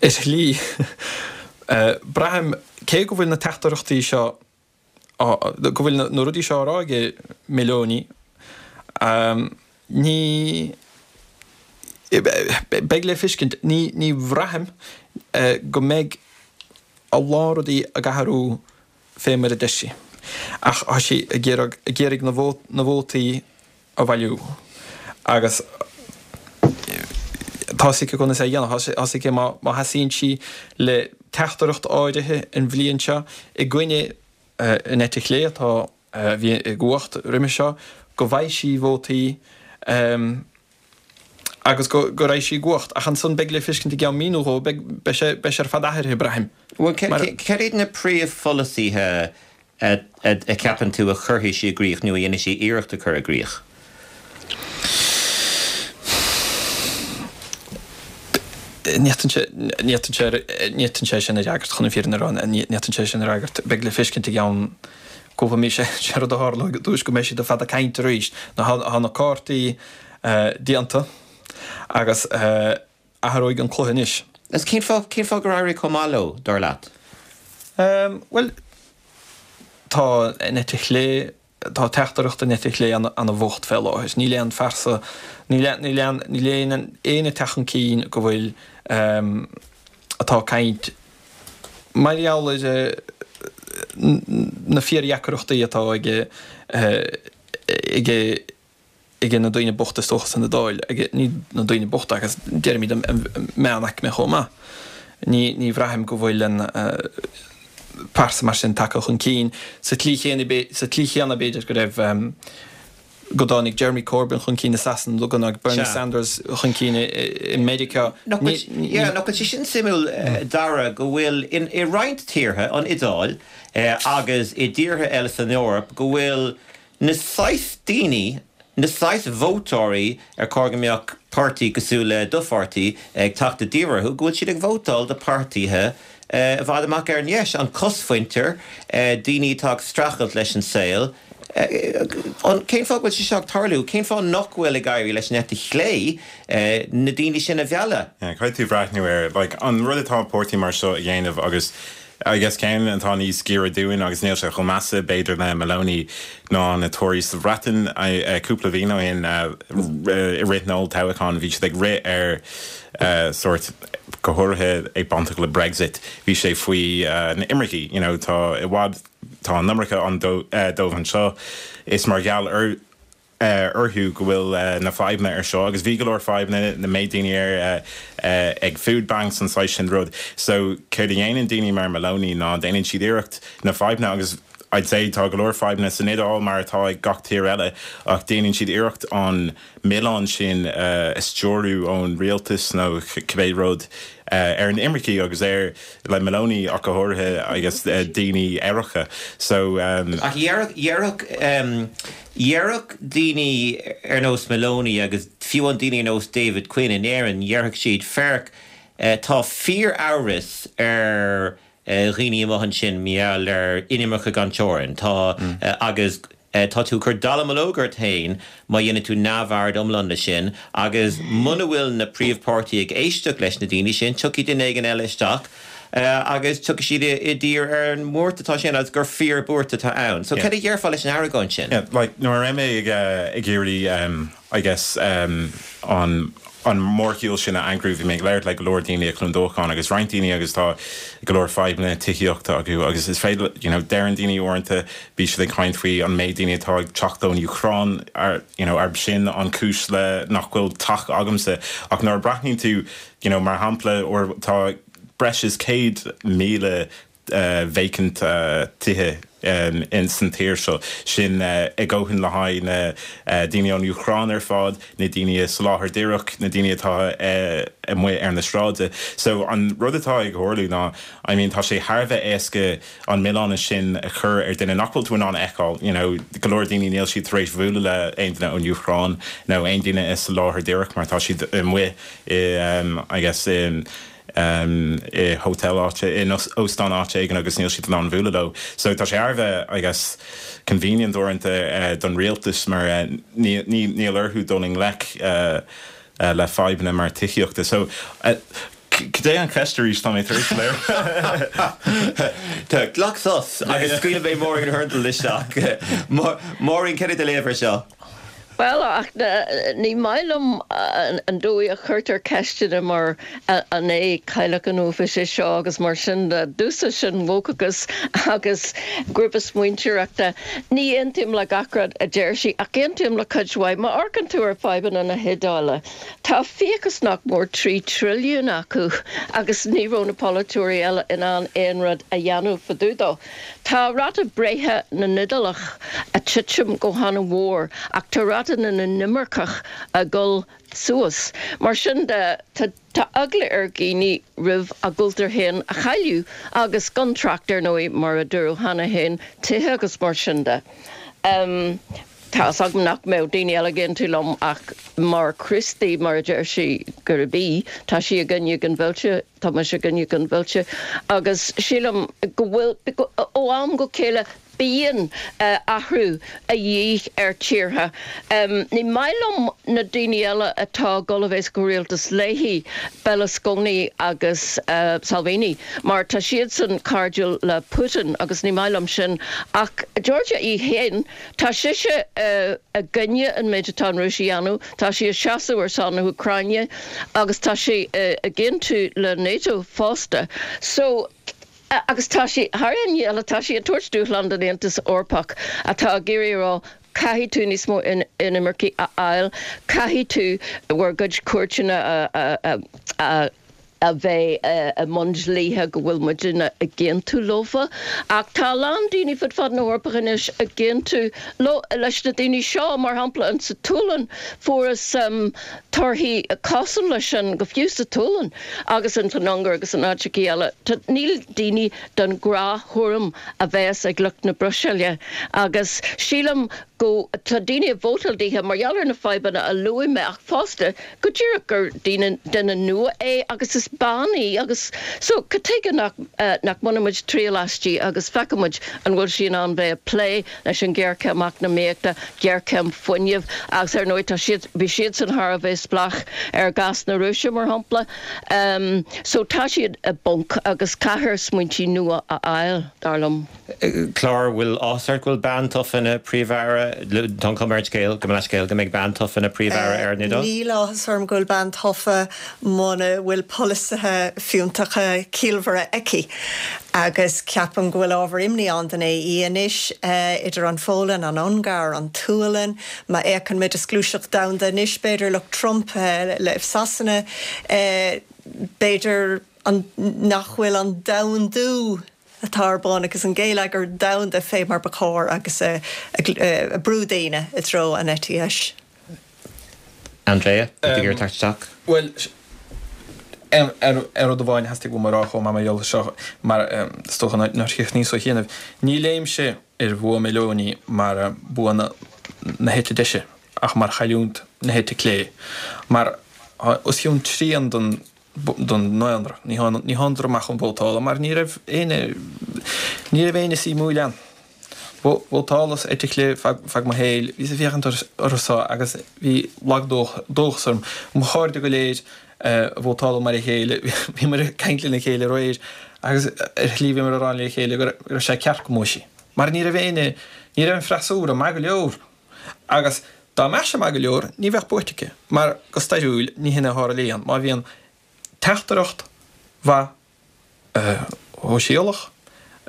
ar shlí, braithim, cé go bhfuil na teachtaireachtaí seo, go bhfuil na rudaí seo á rá ag Meloni, ní, beidh le feiscint, ní, ní bhraithim go mbeidh a lán rudaí ag athrú fé mar a deir sí. Ach tá sí ag iarraidh, ag iarraidh na na vótaí a bhailiú agus tá a fhios aici conas é a dhéanamh. Tá a fhios aici má má sheasaíonn sí le teachtaireacht áirithe an bhliain seo i gcoinne an eite chlé atá, a bhí i gcumhacht roimhe seo, go bhfaighidh sí vótaí. Agus go go raghaidh sí i gcumhacht. Ach ansan beidh le feiscint i gceann mí nó dhó, beidh beidh sé beidh sé ar fad athraithe, braithim. Bhuel, céard iad na príomhpholasaithe a a cheapann tú a chuirfidh sí i gcrích nó a dhéanfaidh sí iarracht a chur i gcrích? Ní fhéadfainnse é sin a fhreagairt, chun an fhírinne a rá. Ní fhéadfainnse é sin a fhreagairt. Beidh le feiscint i gceann cúpla mí. Sé rud a tharlóidh i dtús go mbeidh siad ar fad ag caint arís. Tá na cártaí déanta agus athróidh an cluiche anois. Agus cén fáth, cén fáth gur éirigh chomh maith leo, dar leat? Bhuel, tá an eite chlé, tá teachtaireacht an eite chlé ana-bhocht fé láthair. Níl aon phearsa, níl níl aon, níl aon éinne ag teacht chun cinn go bhfuil, atá ag caint mar gheall ar na fíordheacrachtaí atá ag ag ag na daoine bochta is dócha san Iodáil, ag, ní na daoine bochta agus deirimid an meánaicme chomh maith. Ní, ní bhraithim go bhfuil an pearsa mar sin tagtha chun cinn sa tslí chéanna, sa tslí chéanna b'fhéidir go raibh, go dtáinig Jeremy Corbyn chun cinn i Sasana nó go dtáinig Bernie Sanders chun cinn i Meiriceá. Nach bhfuil sé sin suimiúil, Dara, go bhfuil i roinnt tíortha, an Iodáil agus i dtíortha eile san Eoraip, go bhfuil na saghas daoine, na saghas vótóirí ar chóir go mbeadh páirtí cosúil le do pháirtí ag teacht i dtír orthu, go bhfuil siad ag vótáil do pháirtithe i bhfad amach ar an dheis, an chosmhuintir, daoine atá ag streachailt leis an saol. Cén fáth go bhfuil sé seo ag tarlú? Cén fáth nach bhfuil ag éirí leis an eite chlé na daoine sin a mhealladh? Yeah, caithfidh tú breathnú ar, like, an rud atá páirtí mar seo a dhéanamh agus I guess ceann atá níos giorra dúinn agus níl sé chomh measa b'fhéidir le Meloni ná na Tories sa Bhreatain cúpla bliain ó shin i rith na olltoghcháin bhí siad ag rith ar sórt go háirithe ag bainteach le Brexit bhí sé faoi na imircigh you know tá i bhfad tá an iomarca ann dóibh anseo is mar gheall ar orthu go bhfuil na fadhbanna ar seo agus bhí go leor fadhbanna na méid daoine ar ag food banks an saghas sin rud. So céard a dhéanann daoine mar Meloni ná déanann siad iarracht na fadhbanna agus I'd say tá go leor fadhbanna san Iodáil mar atá ag gach tír eile ach déanann siad iarracht an milleán sin a stiúradh ón rialtas nó cibé rud ar an imircigh agus ar le Meloni ach go háirithe agus daoine aeracha so. Ach dhéarfadh dhéarfadh daoine ar nós Meloni agus fiú an daoine ar nós David Quinn in Éirinn, dhéarfadh siad féach Tá fíor-amhras ar dhaoine amuigh ansin mar gheall ar inimirce gan teorainn. Tá agus tá tú ag cur dallamullóg ort féin má dhéanann tú neamhaird iomlán de sin agus muna bhfuil na príomhpháirtithe ag éisteacht leis na daoine sin, tiocfaidh duine éigin eile isteach agus tiocfaidh siad i dtír ar an mbuairt atá sin agus gur fíor-bhuairt atá ann. So cad a dhéarfá leis an argóint sin? Yeah, like nuair a raibh mé ag ag iarraidh um, I guess um, an an mórshiúl sin a eagrú bhí mé ag labhairt le go leor daoine i Cluain Dolcáin agus roinnt daoine agus tá go leor fadhbanna tithíochta acu agus is féidir you know, deireann daoine uaireanta bíonn siad ag caint faoi an méid daoine atá ag teacht ón Úcráin ar you know, arb sin an cúis le nach bhfuil teach agamsa ach nuair a breathnaíonn tú you know, mar shampla or tá breis is céad míle uh, vacant uh, tithe um, in san tír seo sin uh, ag gabháil le haghaidh na uh, daoine ón Úcráin ar fad, na daoine sa láthair díreach na daoine atá uh, amuigh ar na sráide. So an rud atá ag tarlú ná I mean, tá sé thar bheith éasca an milleán sin a chur ar duine nach bhfuil tú in ann feiceáil, you know, go leor daoine níl siad tar éis bualadh le aon duine ón Úcráin nó aon duine is sa láthair díreach mar tá siad amuigh i um, I guess in um, i hotel áite in óstán áite éigin agus níl siad an bhualadh leo. So tá sé thar bheith I guess convenient uaireanta uh, don rialtas mar uh, níl orthu dul i ngleic uh, uh, le fadhbanna mar tithíochta. So uh, Cad é an cheist arís tá mé tar éis léir. Tá glac sos agus scaoil mé Maureen Hurndall isteach. Maureen cad é do léamh air seo. Well ach ní maith liom an dóigh a chuirtear ceisteanna mar an é cailleach an uafais é seo agus mar sin de dúsa sin wokachas agus grúpa smaointeoireachta. Ní aontaím le gach rud a deir sí ach aontaím le cuid mhaith má amharcann tú ar fadhbanna na hIodáile. Tá fiachas nach mór trí trilliún acu agus ní raibh na polaiteoirí eile in ann aon rud a dhéanamh fá dtaobh dó. Tá ráta breithe na nIodálach ag titim go han-mhór ach tá ráta na n-inimirceach ag dul suas. Mar sin de tá eagla ar dhaoine roimh a gcultúr féin a chailleadh agus gan trácht ar ndóigh mar a dúradh cheana féin tithe agus mar sin de. Um, Tá agam nach mbeadh daoine eile ag aontú liom ach mar Chríostaí mar a deir sí gurb í, tá sí i gcoinne ginmhilleadh, tá mise i gcoinne ginmhilleadh agus sílim go bhfuil ó am go chéile bíonn athrú a dhíth ar tíortha. Ní maith liom na daoine eile atá ag dul a bheith sa rialtas léi Berlusconi agus Salvini, mar tá siadsan cairdiúil le Putin agus ní maith liom sin ach Giorgia í féin tá sise i gcoinne an méid atá an Rúis a dhéanamh, tá sí ag seasamh ar son na hÚcráine agus tá sí ag aontú le NATO fosta. So agus tá sí thar aon ní eile tá sí ag tabhairt dúshlán don Aontas Eorpach atá ag iarraidh a rá caithfidh tú níos mó inimircigh a fháil, caithfidh tú bhur gcuid cúirteanna a a a bheith i mbun dlíthe go bhfuil muidne ag aontú leofa. Ach tá a lán daoine fud fad na hEorpa anois ag aontú leis na daoine seo, mar shampla in sa tSualainn fuarthas torthaí cosúil leis sin go fiú sa tSualainn agus in san Ungáir agus in áiteachaí eile. Níl daoine den ghnáth-thuairim a bheas ag lucht na Bruiséile agus sílim go tá daoine ag vótáil dithe mar gheall ar na fadhbanna a luaigh mé ach fosta go díreach gur daoine duine nua é agus is bean í agus so cad tuige nach nach mbainfidh muid triail aisti agus feicfidh muid an bhfuil sí in ann bheith ag plé leis an ghéarchéim eacnamaíochta, géarchéim fuinnimh agus ar ndóigh tá siad bhí siadsan thar a bheith spleách ar ghás na Rúise mar shampla. Um, so tá siad i bponc agus caithfear smaointí nua a fháil, dar liom. Clár bhfuil áthas ort go bhfuil bean tofa ina príomh-aire, tá an chuma ar an scéal, go mbeidh scéal go mbeidh bean tofa ina príomh-aire ar an Iodáil? Níl áthas orm go bhfuil bean tofa muna bhfuil polasaithe fiúntacha ciallmhara aici. Agus ceapaim go bhfuil ábhar imní ann don AE anois idir an Pholainn, an Ungáir, an tSualainn, má fhéachann muid is gluaiseacht domhanda anois b'fhéidir lucht Trump le Sasana, b'fhéidir nach bhfuil an domhandú atá ar bun agus an geilleagar domhanda fé mar ba chóir agus ag brú daoine i dtreo an eite dheis. Andrea, tú ag iarraidh teacht isteach? Bhuel, ar rud amháin theastaigh uaim a rá chomh maith mar gheall air seo, mar is dócha nár chríochnaíos ó chianaibh, ní léimse ar bhua Meloni mar bua na heite deise ach mar chailliúint na heite clé, mar os cionn trian den don ndaonra. Ní thánadar amach chun vótála mar ní raibh éinne ní raibh éinne suimiúil ann. Vótálas eite chlé feadh mo shaoil, bhíos ag féachaint orthu so agus bhí lag-dóchas orm. Mo chairde go léir a vótáladh mar a chéile, bhíomar ag caint lena chéile aréir agus ar shlí bhíomar ag rá le chéile go raibh sé ceart go mbuafaidh sí. Mar ní raibh éinne, ní raibh an freasúra maith go leor. Agus dá mbeadh sé maith go leor, ní bheadh buaite aici, mar go stairiúil ní hin a tharlaíonn. Má bhíonn teachtaireacht mhaith shóisialach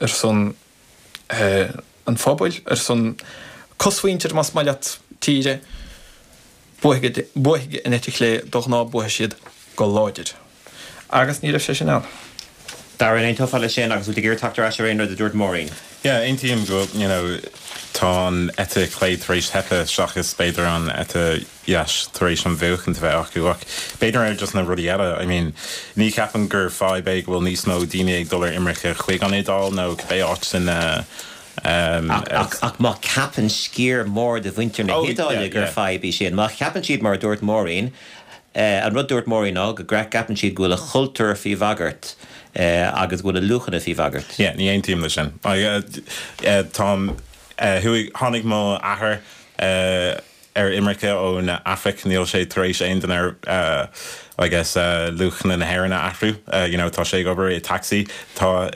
ar son an phobail, ar son cosmhuintir más maith leat tíre, buafaidh an eite chlé, de ghnáth buafaidh siad go láidir. Agus ní raibh sé sin ann. Dara, an aontófá leis sin agus bhfuil tú ag iarraidh teacht ar ais ar aon rud a dúirt Máirín? Yeah, aontaím go you know tá an eite chlé tar éis teipeadh seachas b'fhéidir an eite dheis tar éis an bhuachaint a bheith acu ach b'fhéidir ar just na rudaí eile I mean ní cheapaim gur fadhb é go bhfuil níos mó daoine ag dul ar imirce chuig an Iodáil nó cibé áit san um, Ach, ach má cheapann sciar mór de mhuintir na Oh, hIodáile yeah, gur yeah. fadhb í sin, má cheapann siad mar a dúirt Máirín, eh, an rud dúirt Máirín ná go gceapann siad go bhfuil a chultúr faoi bhagairt eh, agus go bhfuil a luachanna faoi bhagairt. Yeah, ní aontaím leis sin. Táim thuaidh tháinig mo athair uh, ar imirce ón Afraic níl sé tar éis aon den ar uh, I guess uh, luachanna na hÉireann a athrú uh, you know, tá sé ag obair i taxi tá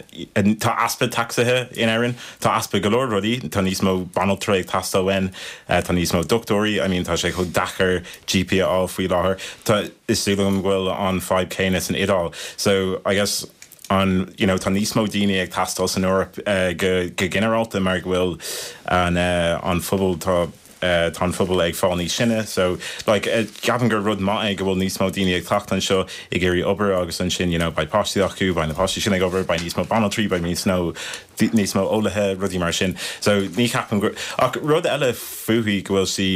tá easpa tacsaithe in Éirinn tá easpa go leor rudaí tá níos mó banaltra ag teastáil uainn uh, tá níos mó dochtúirí I mean tá sé chomh deacair GP a fháil faoi láthair Tá is dóigh liom go bhfuil an fadhb céanna san Iodáil so I guess an you know, tá níos mó daoine ag teastáil san Eoraip uh, go, go ginearálta mar go bhfuil an, uh, an phobal tá uh, tá an phobal ag fáil níos sine so like uh, ceapaim gur rud maith é go bhfuil níos mó daoine ag teacht anseo ag iarraidh obair agus ansin you know, beidh páistí acu beidh na páistí sin ag obair beidh níos mó banaltraí beidh níos mó níos mó eolaithe rudaí mar sin so ní cheapaim gur ach rud eile fúithi go bhfuil sí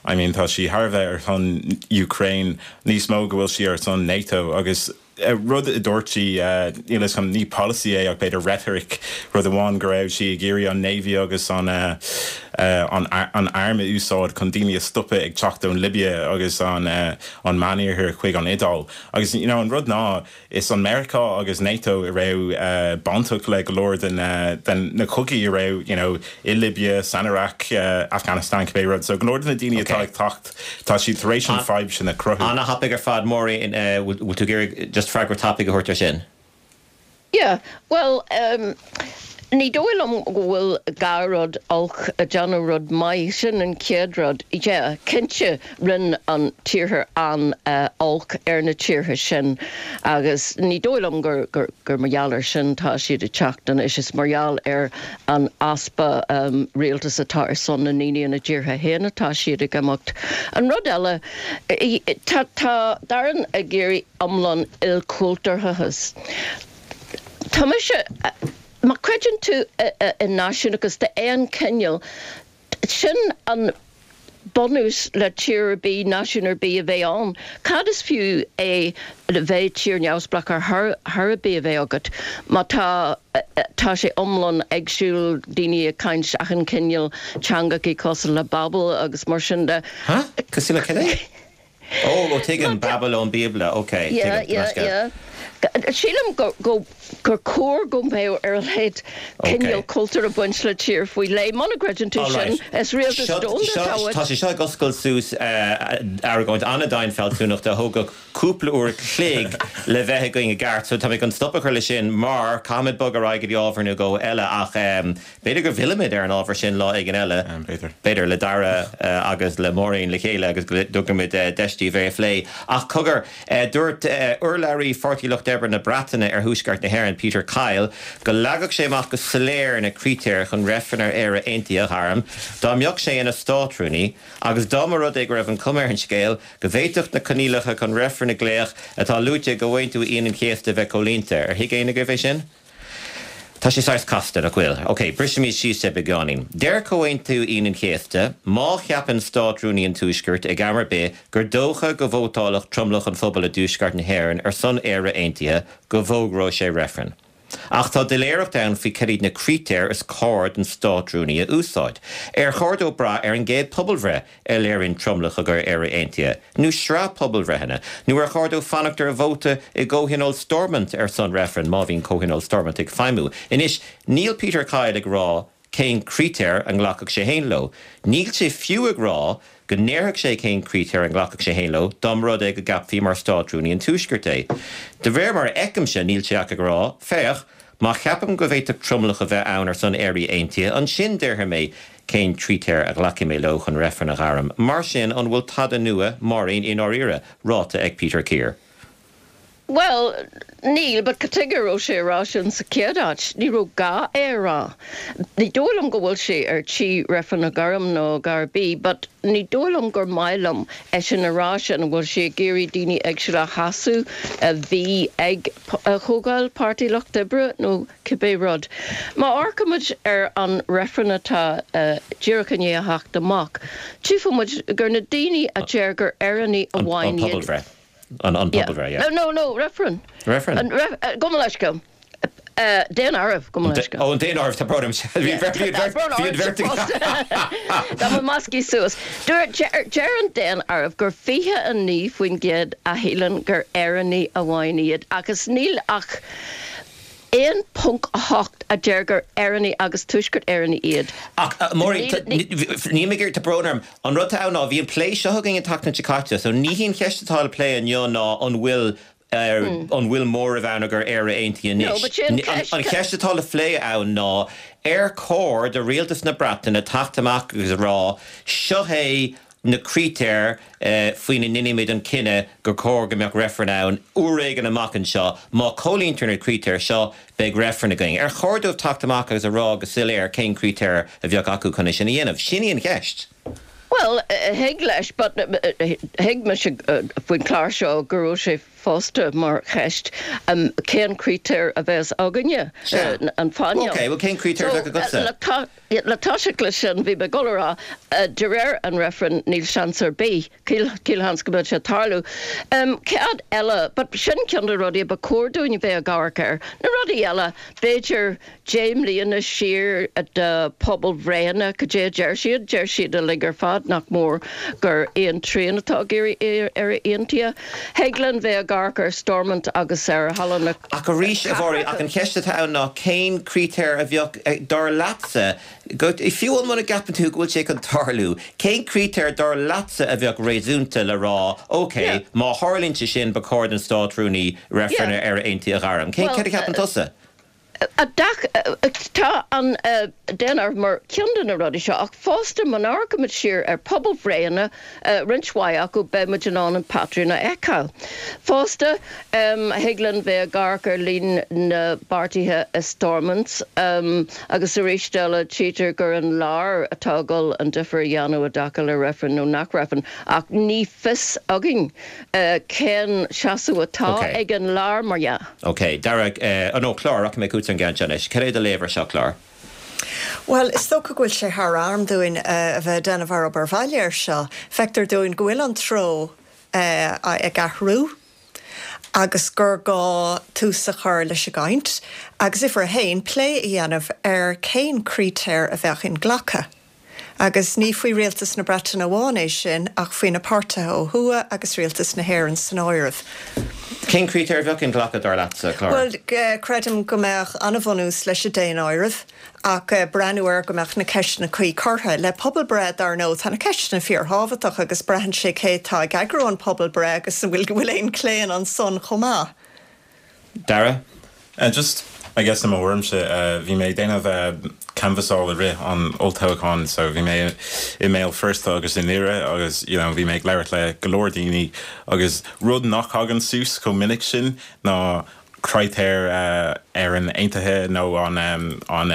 I mean tá sí thar a bheith ar son Ukraine níos mó go bhfuil sí ar son NATO agus eh, rud a dúirt sí níl chum ní policy é ach b'fhéidir rhetoric rud amháin go raibh sí ag iarraidh an Navy agus an uh, uh, an, an arm a úsáid chun daoine a stopadh ag teacht ón Libia agus an uh, an Meánoirthear chuig an Iodáil. Agus you know, an rud ná is an Meiriceá agus NATO a raibh uh, bainteach le go leor den, uh, den na cogaí a raibh you know, i Libia, san Iraq, uh, Afghanistan cibé rud, so go leor de na daoine atá ag teacht tá siad tar éis an fadhb sin a chruthú. An-thapaidh ar fad Máirín bhfuil tú ag iarraidh just freagra tapaidh a thabhairt ar sin. Yeah, well, um, ní dóigh liom go bhfuil gach rud olc ag déanamh rud maith sin an chéad rud. Yeah, cinnte rinne an tíortha an uh, olc ar na tíortha sin agus ní dóigh liom gur, gur, gur mar gheall ar sin tá siad ag teacht an is is mar gheall ar an easpa um, rialtas atá ar son na ndaoine na dtíortha féin atá siad ag imeacht. An rud eile tá tá Darren ag iarraidh iomlán ilchultúrthachas. Tá mise má chreideann tú i náisiúnachas d'aon chineál sin an bunús le tír ar bith náisiún ar bith a bheith ann. Cad is fiú é le bheith tír neamhspleách ar thar ar bith a bheith agat má tá tá sé iomlán éagsúil daoine ag caint achan cineál teangacha cosúil le Babel agus mar sin de. Cosúil le cad é? Ó ó tuigim Babel ón Bíobla, ok. Yeah, yeah, yeah. Sílim go go gur cóir go mbeadh ar a laghad cineál cultúr ag baint le tír faoi leith muna gcreideann tú sin is rialtas Tá sé seo ag oscailt suas argóint an-domhain fealsúnachta a thógfadh cúpla uair chloig le bheith againn i gceart, so tá mé chun stop a chur leis sin mar caithfimid bogadh ar aghaidh go dtí ábhar nó dhó eile ach b'fhéidir go bhfillfimid ar an ábhar sin lá éigin eile. B'fhéidir. B'fhéidir le Dara agus le Máirín le chéile agus go dtugaimid deis daoibh é a phlé. Ach cogar dúirt urlabhraí Pháirtí Lucht Oibre na Breataine ar Thuaisceart na hÉireann Peter Kyle go leagfadh sé amach go soiléir na critéir chun reifreann ar Éire Aontaithe a ghairm, dá mbeadh sé ina státrúnaí agus dá mba rud é go raibh an chuma ar an scéal go bhféadfadh na coinníollacha chun reifreann a ghlaoch atá luaite i gComhaontú Aoine an Chéasta bheith comhlíonta ar thuig éinne agaibh é sin? Tá sé saghas casta nach bhfuil. Ok, brisimid síos é beagáinín. Deir Comhaontú Aoine an Chéasta, má cheapann státrúnaí an Tuaiscirt ag am ar bith gur dócha go vótálfadh tromlach an phobail i dTuaisceart na hÉireann ar son Éire Aontaithe go bhfógróidh sé reifreann. Ach tá doiléireacht ann faoi cad iad na critéir is cóir don Státrúnaí a úsáid. Ar chóir dó brath ar an gcéad pobalbhreith a léiríonn tromlach i gcomhair Éire Aontaithe, nó sraith pobalbhreitheanna, nó ar chóir dó fanacht ar vóta i gComhthionól Stormont ar son reifrinn, má bhíonn Comhthionól Stormont ag feidhmiú. Anois, níl Peter Kyle ag rá cén critéir a nglacfadh sé féin leo. Níl sé fiú ag rá go ndéarfadh sé cén critéir a nglacfadh sé féin leo dá mba rud é go gceapfaí mar Státrúnaí an Tuaiscirt é. De réir mar a fheicimse, níl sé ach ag rá, féach, má cheapaim go bhféadfadh tromlach a bheith ann ar son Éire Aontaithe, ansin déarfaidh mé cén critéir a ghlacfaidh mé leo chun reifreann a ghairm. Mar sin, an bhfuil tada nua, Máirín, i ndáiríre, ráite ag Peter Kier? Bhuel, níl, but cad chuige a raibh sé a rá sin sa chéad áit? Ní raibh gá é a rá. Ní dóigh liom go bhfuil sé ar tí reifreann a ghairm nó a dhath ar bith, but ní dóigh liom gur maith liom eisean a rá sin, an bhfuil sé ag iarraidh daoine éagsúla a shásamh a bhí ag comhdháil Páirtí Lucht Oibre nó cibé rud. Má amharcaimid ar an reifreann atá díreach i ndiaidh a theacht amach, tchífidh muid gur na daoine a deir gur Éireannaigh amháin An iad. pobalbhreith. An an pobalbhreith, yeah. No, no, no, reifreann. Reifreann? An ref, gabh mo leithscéal. Daonáireamh, gabh mo leithscéal. Ó, an daonáireamh, tá brón orm. Bhí an bheirt, bhí an bheirt, bhí an bheirt ag. Tá mo measctha suas. Deir, deir an daonáireamh gur fiche a naoi faoin gcéad a shíleann gur Éireannaigh amháin iad agus níl ach aon ponc a hocht a deir gur Éireannaigh agus Tuaisceart Éireannaigh iad. Ach, Máirín, níl mé ag iarraidh, tá brón orm, an rud atá ann ná, bhí an plé seo againn an tseachtain seo caite, so ní hí an cheist atá le plé inniu ná an bhfuil, an bhfuil móramh ann i gcomhair Éire Aontaithe No, anois. but sin an cheist. An cheist atá le plé ann ná, ar chóir do rialtas na Breataine teacht amach agus a rá, seo é na critéir faoina ndéanfaimid an cinneadh gur chóir go mbeadh reifreann ann uair éigin amach anseo. Má chomhlíontar na critéir seo, beidh reifreann againn. Ar chóir dóibh teacht amach agus a rá go soiléir cén critéir a bheadh acu chun é sin a dhéanamh? Sin í an cheist. Bhuel, thig leis, but thuig mise faoin chlár seo go raibh sé fosta mar cheist cén critéir a bheas againne, an phainéal. Ok, bhuel cén critéir a bheadh agatsa? Le toiseacht leis sin, bhí mé ag dul a rá, de réir an reifrinn, níl seans ar bith, caolsheans go mbeadh sé ag tarlú. Cad eile, but sin ceann de na rudaí a ba chóir dúinn a bheith ag amharc air. Na rudaí eile, b'fhéidir deich mbliana siar de pobalbhreitheanna, cad é a deir siad? Deir siad uilig ar fad nach mór gur aon trian atá ag iarraidh Éire Aontaithe. Thig linn bheith ag amharc ar Stormont agus ar Halla na Ach arís, a Mháirín, ach an cheist atá ann ná cén critéir a bheadh, dar leatsa, go, fiú muna gceapann tú go bhfuil sé chun tarlú, cén critéir dar leatsa a bheadh réasúnta le rá, ok, má tharlaíonn sé sin ba chóir don Státrúnaí reifreann ar Éire Aontaithe a ghairm? Cén, céard a cheapann tusa? Tá an daonáireamh mar cheann de na rudaí seo, ach fosta má amharcaimid siar ar pobalbhreitheanna, roinnt mhaith acu, beidh muid in ann an patrún a fheiceáil. Fosta, thig linn bheith ag amharc ar líon na bpáirtithe i Stormont agus arís eile tchítear gur an lár atá ag dul an difear a dhéanamh i dtaca le reifreann nó nach reifreann ach ní fios againn cén seasamh atá ag an lár mar dhea. Ok, Dara, nó Clár, rachaidh mé chugatsa an gceann seo anois. Cad é do léamh ar seo, Clár? Bhuel, is dócha go bhfuil sé thar am dúinn a bheith ag déanamh ár obair bhaile air seo. Feictear dúinn go bhfuil an treo ag athrú agus gur gá tús a chur leis an gcaint agus uimhir a haon, plé a dhéanamh ar cén critéir a bheadh inghlactha. Agus ní faoi Rialtas na Breataine amháin é sin ach faoi na páirtithe ó thuaidh agus Rialtas na hÉireann san áireamh. Cén critéir a bheadh inghlactha dar leatsa, Clár? Bhuel, creidim go mbeadh an-bhunús leis an daonáireamh ach breathnú air go mbeadh na ceisteanna cuí curtha. Le pobalbhreith, dar ndóigh, tá na ceisteanna fíorthábhachtach agus braitheann sé cé atá ag eagrú an pobalbhreith agus an bhfuil go bhfuil aon chlaon ansan chomh maith. Dara? Just, I guess i mo thuairimse, bhí mé ag déanamh canbhasáil i rith an olltoghcháin so bhí mé i mBéal Feirste agus i nDoire agus you know bhí mé ag labhairt le go leor daoine agus rud nach thagann suas chomh minic sin ná critéir Éireann Aontaithe nó an an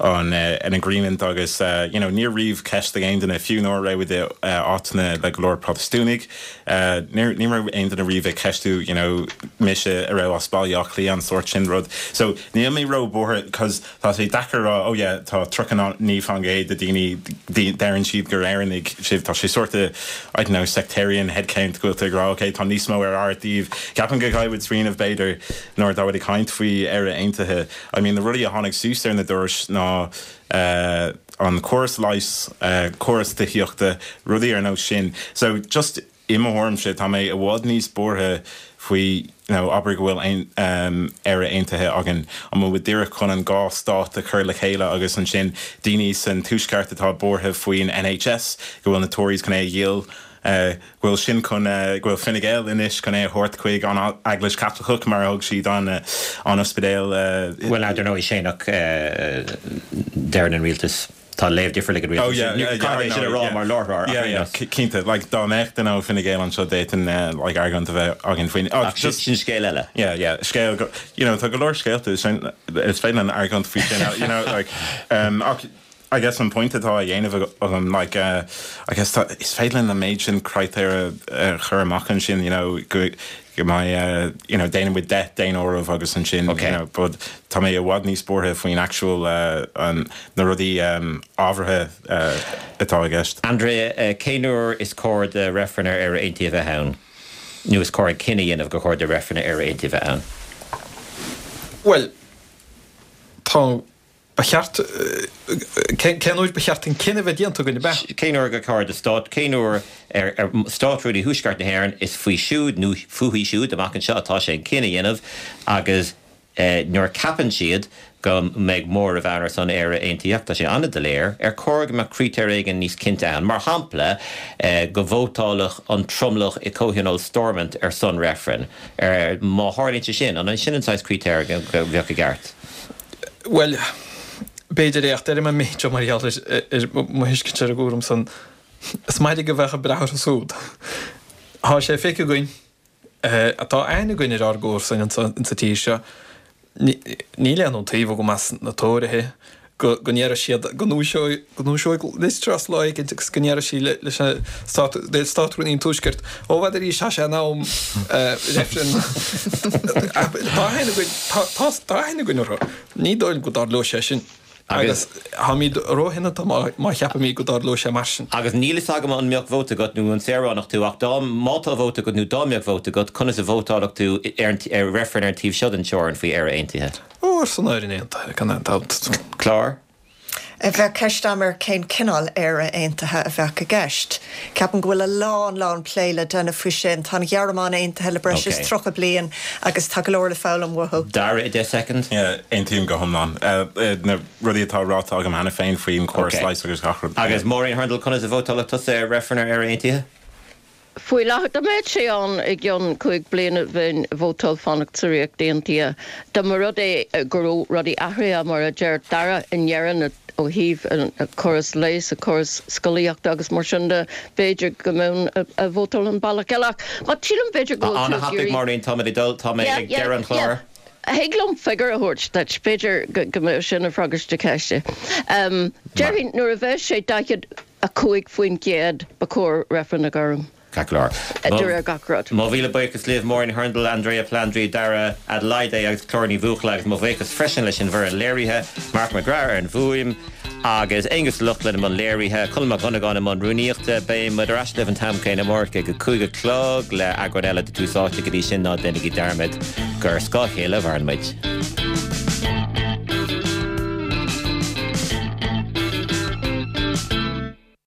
an uh, an agreement agus uh, you know, níor riamh ceist ag aon duine fiú nuair a raibh uh, áiteanna le go leor Protastúnaigh uh, ní raibh aon duine riamh ag ceistiú you know, mise a raibh as Baile Átha Cliath an sórt sin rud. So níl mé ró-bhuartha cos tá sé deacair rá oh yeah, tá tríocha naoi faoin gcéad de daoine deireann siad gur Éireannaigh sibh tá sé sort of I don't know sectarian headcount go bhfuil rá okay, tá níos mó ar ár dtaobh. Ceapaim go gcaithfidh smaoineamh b'fhéidir nuair atá ag caint faoi Éire Aontaithe. I mean na rudaí a tháinig suas ar na dorais ná uh, an córas leighis uh, córas tithíochta rudaí ar nós sin. So just i mo thuairimse tá mé i bhfad níos buartha faoi you know, abair go bhfuil ein, um, Éire Aontaithe againn an bhfuil díreach chun an dhá stát a chur le chéile agus ansin daoine san tuaisceart atá buartha faoin NHS go bhfuil na Tories chun é a dhíol Uh, bhfuil sin chun uh, go bhfuil Fine Gael anois chun é a thabhairt chuig an Eaglais Chaitliceach mar thug siad an uh, an ospidéal uh, Well ar ndóigh sé nach deir an rialtas tá léamh difriúil ag an Oh yeah, yeah, yeah, sin rá mar láthir Cinnte like dá mbeadh den ó Fine Gael anseo d'fhéadfainn like argóint a bheith againn faoin oh, just sin scéal eile. Yeah, yeah, scéal go you know tá go leor scéalta sin is féidir an argóint faoi sin you know like um ach I guess an point atá á dhéanamh agam like uh, I guess tá is féidir an méid sin critéir a chur amach ansin you know go go mbeidh uh, you know déanamh with deich daonáireamh agus ansin Okay. you know, but tá mé i bhfad níos buartha faoin actual uh, an na rudaí um, ábhartha uh, atá i gceist. Andrea uh, cén uair is cóir do reifreann ar Éire Aontaithe a bheith ann? Nó is cóir cinneadh a dhéanamh gur chóir do reifreann ar Éire Aontaithe a bheith ann? Well tá ba cheart cén uair ba cheart an cinneadh bheith déanta againn be. Cén uair gur chóir do stát cén uair ar, ar Státrúnaí Thuaisceart na hÉireann is faoi siúd nó fúithi siúd amach anseo atá sé an cinneadh a dhéanamh agus eh, nuair a cheapann siad go mbeidh móramh ann ar son Éire Aontaithe tá sé an-doiléir ar chóir go mbeadh critéir éigin níos cinnte ann. Mar shampla eh, go vótálfadh an tromlach i comhthionól Stormont ar son reifreann. Ar má tharlaíonn sé sin an an sin an saghas critéir go go bheadh i gceart. Well b'fhéidir é ach deir mé mar gheall ar mo thuiscint ar an gcúram san is maith go bheith breá súd. Tá sé feicthe againn atá aithne againn ar ár gcomharsain insa tír seo níl aon taobh go meas na Tóraithe go go ndéarfaidh siad go ndúiseoidh Liz Truss lá éigin agus go ndéarfaidh sí leis an stát Státrúnaí an Tuaiscirt ó bhfad arís tá sé in am reifreann Tá aithne againn tá aithne againn orthu. Ní dóigh go dtarlóidh sé sin. Agus táimid róshoineanta má cheapaimid go dtarlóidh sé mar sin. Agus níl fhios agam an mbeadh vóta agat nó an saoránach tú ach dá má tá vóta agat nó dá mbeadh vóta agat conas a vótálfadh tú ar ar reifreann ar an taobh seo den teorainn faoi Éire Aontaithe. Ó ar son Éire Aontaithe gan aon dabht. Clár? Bheadh ceist agam ar cén cineál Éire Aontaithe a bheadh i gceist. Ceapaim go bhfuil a lán lán plé le déanamh faoi sin tá an Ghearmáin aontaithe le breis is Okay. tríocha bliain agus tá go leor le foghlaim uathu. Dara i deich soicind? Yeah, aontaím go hiomlán. Uh, uh, na rudaí atá ráite agam cheana féin faoin córas Okay. leighis agus gach rud. Agus Máirín Hurndall conas a vótálfadh tusa ar reifreann ar Éire Aontaithe? Faoi láthair dá mbeadh sé ann i gceann cúig bliana bheinn ag vótáil fanacht sa Ríocht Aontaithe. Dá mba rud é go raibh rudaí athraithe mar a deir Dara i ndeireadh ó thaobh an córas leighis a córas scolaíochta agus mar sin de b'fhéidir go mbeinn ag vótáil an bealach eile. Má sílim b'fhéidir go Anna Happig Máirín tá ag dul tá mé ag deireadh an chláir. Thig liom figiúr a thabhairt duit b'fhéidir go mbeadh sin ina fhreagairt do cheiste. Um, Déarfainn nuair a bheidh sé daichead a cúig faoin gcéad ba chóir reifreann a ghairm. Clár. De réir gach rud. Mo mhíle buíochas libh Máirín Hurndall, Andrea Palandri, Dara Adelaide agus Clár Ní Bhuachalla agus mo bhuíochas freisin leis an bhfoireann léirithe, Mark McGrath ar an bhfuaim, agus Angus Loughlin i mbun léirithe, Colm Mac Dhonnagáin i mbun rúnaíochta, beidh muid ar ais libh an t-am céanna amárach ag a cúig a chlog le eagrán eile de Tús Áite go dtí sin ná déanaigí dearmad gur ar scáth a chéile a mhaireann muid.